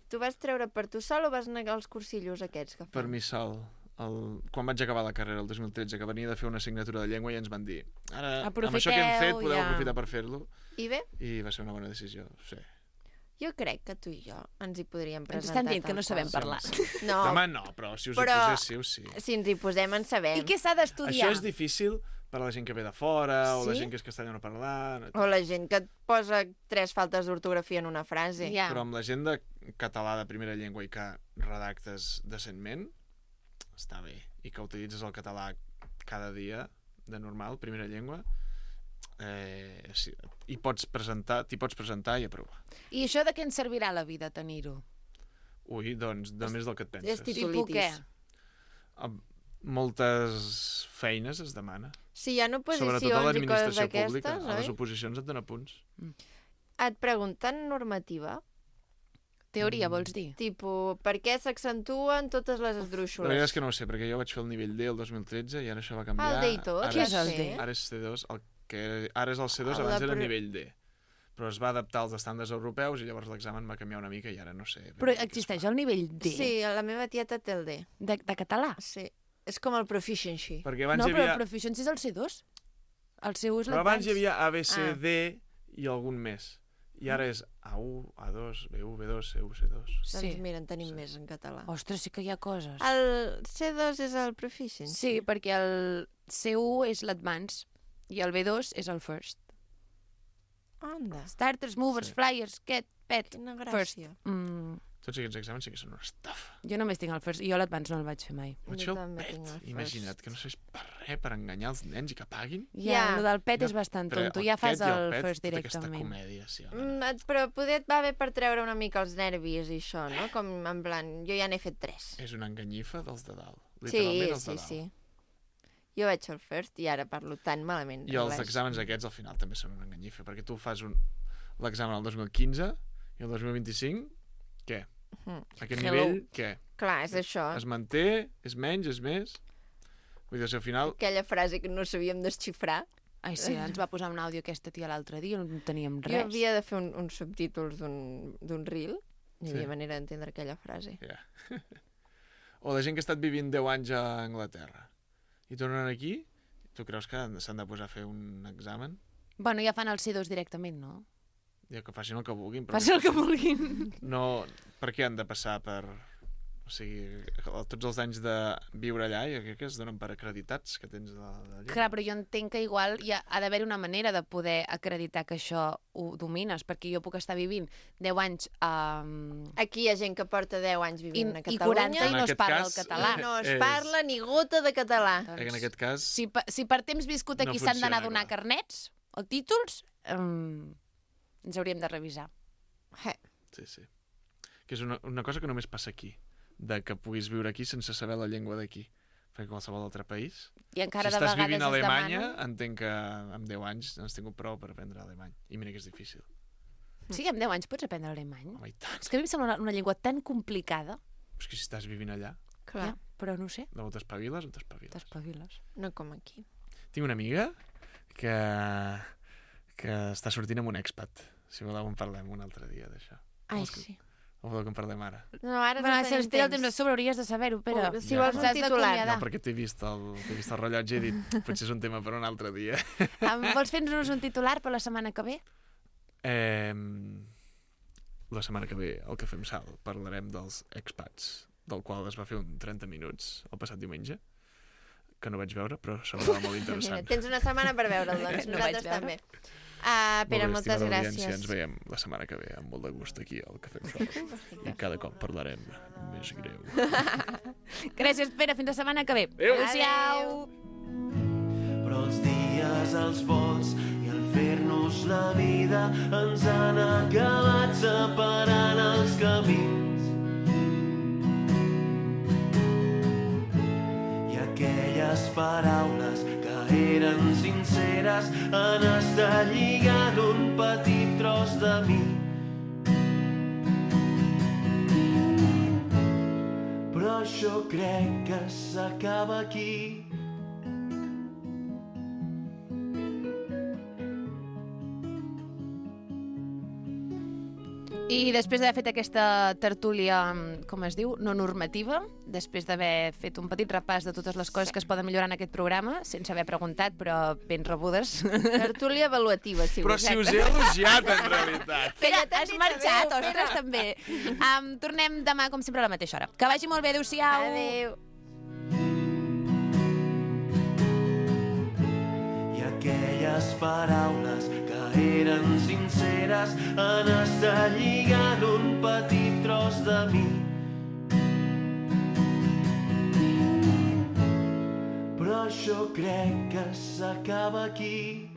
tu vas treure per tu sol o vas negar els cursillos aquests que fan? Per mi sol. Quan vaig acabar la carrera el 2013, que venia de fer una assignatura de llengua i ens van dir ara, amb això que hem fet, podeu aprofitar per fer-lo. I bé? I va ser una bona decisió, sí. Jo crec que tu i jo ens hi podríem presentar. Ens estan dient que no sabem parlar. No. Demà no, però si us hi poséssiu, sí. Si ens hi posem, en sabem. I què s'ha d'estudiar? Això és difícil per a la gent que ve de fora, o la gent que és castellanoparlant... O la gent que et posa 3 faltes d'ortografia en una frase. Però amb la gent de català de primera llengua i que redactes decentment, està bé. I que utilitzes el català cada dia, de normal, primera llengua, t'hi pots presentar i aprovar. I això de què ens servirà la vida, tenir-ho? Ui, doncs, de més del que et penses. És titulitis. Moltes feines es demana. Si hi ha oposicions i coses d'aquestes, oi? Sobretot a l'administració pública, a les oposicions et dona punts. Et pregunten normativa? Teoria, vols dir? Tipo, per què s'accentuen totes les esdrúixoles? La veritat és que no ho sé, perquè jo vaig fer el nivell D el 2013 i ara això va canviar. El D i tot? Què és el D? Ara és C2, ara és el C2, abans era el nivell D. Però es va adaptar als estàndards europeus i llavors l'examen va canviar una mica i ara no sé. Però existeix el nivell D? Sí, la meva tieta té el D. De català? Sí. És com el proficiency. No, però el proficiency és el C2. El seu és l'advanced. Però abans hi havia A, B, C, D i algun més. I ara és A1, A2, B1, B2, C1, C2. Doncs mira, en tenim més en català. Ostres, sí que hi ha coses. El C2 és el Proficiency. Sí, perquè el C1 és l'Advance i el B2 és el First. Anda. Starters, movers, flyers, pet, Quina first. gràcia. Tots aquests exàmens sí que són una estafa. Jo només tinc el First, jo l'Advance no el vaig fer mai. Vaig fer el PET. Imagina't que no serveix per res, per enganyar els nens i que paguin. Ja, el del PET és bastant tonto, ja fas el First directament. directament. Comèdia, sí, però poder et va bé per treure una mica els nervis i això, no? Com en plan, jo ja n'he fet 3. És una enganyifa dels de dalt. Literalment els de dalt. Sí. Jo vaig al First i ara parlo tan malament. I els exàmens aquests al final també són una enganyifa, perquè tu fas l'examen el 2015 i el 2025, què? Aquest nivell, què? Clar, és això. Es manté, és menys, és més? Vull dir, al final... Aquella frase que no sabíem desxifrar. Ai, sí, ens va posar un àudio aquesta tia l'altre dia, no teníem res. Jo havia de fer uns subtítols d'un reel, no hi havia manera d'entendre aquella frase. O la gent que ha estat vivint 10 anys a Anglaterra i tornen aquí, tu creus que s'han de posar a fer un examen? Bueno, ja fan el C2 directament, no? Ja que facin el que vulguin. Facin el que vulguin. No, per què han de passar per... O sigui, tots els anys de viure allà, jo crec que es donen per acreditats que tens d'allà. Clar, però jo entenc que igual ha d'haver una manera de poder acreditar que això ho domines, perquè jo puc estar vivint 10 anys... Aquí hi ha gent que porta 10 anys vivint a Catalunya. I 40 i no es parla el català. No es parla ni gota de català. En aquest cas... Si per temps viscut aquí s'han d'anar a donar carnets o títols, ens hauríem de revisar. Sí. Que és una cosa que només passa aquí, de que puguis viure aquí sense saber la llengua d'aquí. Perquè qualsevol altre país... I encara si de estàs vegades vivint a Alemanya, entenc que amb 10 anys has tingut prou per aprendre alemany. I mira que és difícil. Sí, amb 10 anys pots aprendre alemany. Home, i tant. És que a mi em sembla una llengua tan complicada. És que si estàs vivint allà... Clar. Ja, però no ho sé. No t'espaviles, t'espaviles. No com aquí. Tinc una amiga que està sortint amb un expat. Si voleu en parlem un altre dia d'això. Ai, sí. O voleu que en parlem ara? No, ara no si ens tira el temps de sobre hauries de saber-ho, Pere. Si vols un titular. No, perquè t'he vist el rellotge i he dit potser és un tema per un altre dia. Vols fer-nos un titular per la setmana que ve? La setmana que ve, al Cafè amb Sal, parlarem dels expats, del qual es va fer un 30 minuts el passat diumenge, que no vaig veure, però semblava molt interessant. Tens una setmana per veure'l, doncs. Nosaltres també. Pere, moltes gràcies. Ens veiem la setmana que ve, amb molt de gust aquí al Cafè amb Sal. I cada cop parlarem més greu. Gràcies, Pere. Fins la setmana que ve. Adéu. Però els dies, els vols i el fer-nos la vida ens han acabat separant els camins. I aquelles paraules que eren sinceres han estat lligant un petit tros de mi. Però jo crec que s'acaba aquí. I després d'haver fet aquesta tertúlia, com es diu, no normativa, després d'haver fet un petit repàs de totes les coses que es poden millorar en aquest programa, sense haver preguntat, però ben rebudes. Tertúlia avaluativa, si però si us he elogiat, en realitat. Pere, has marxat, ostres, també. Tornem demà, com sempre, a la mateixa hora. Que vagi molt bé, adéu-siau. Adéu. I aquelles paraules que eren sinceres han estat lligant un petit tros de mi. Però jo crec que s'acaba aquí.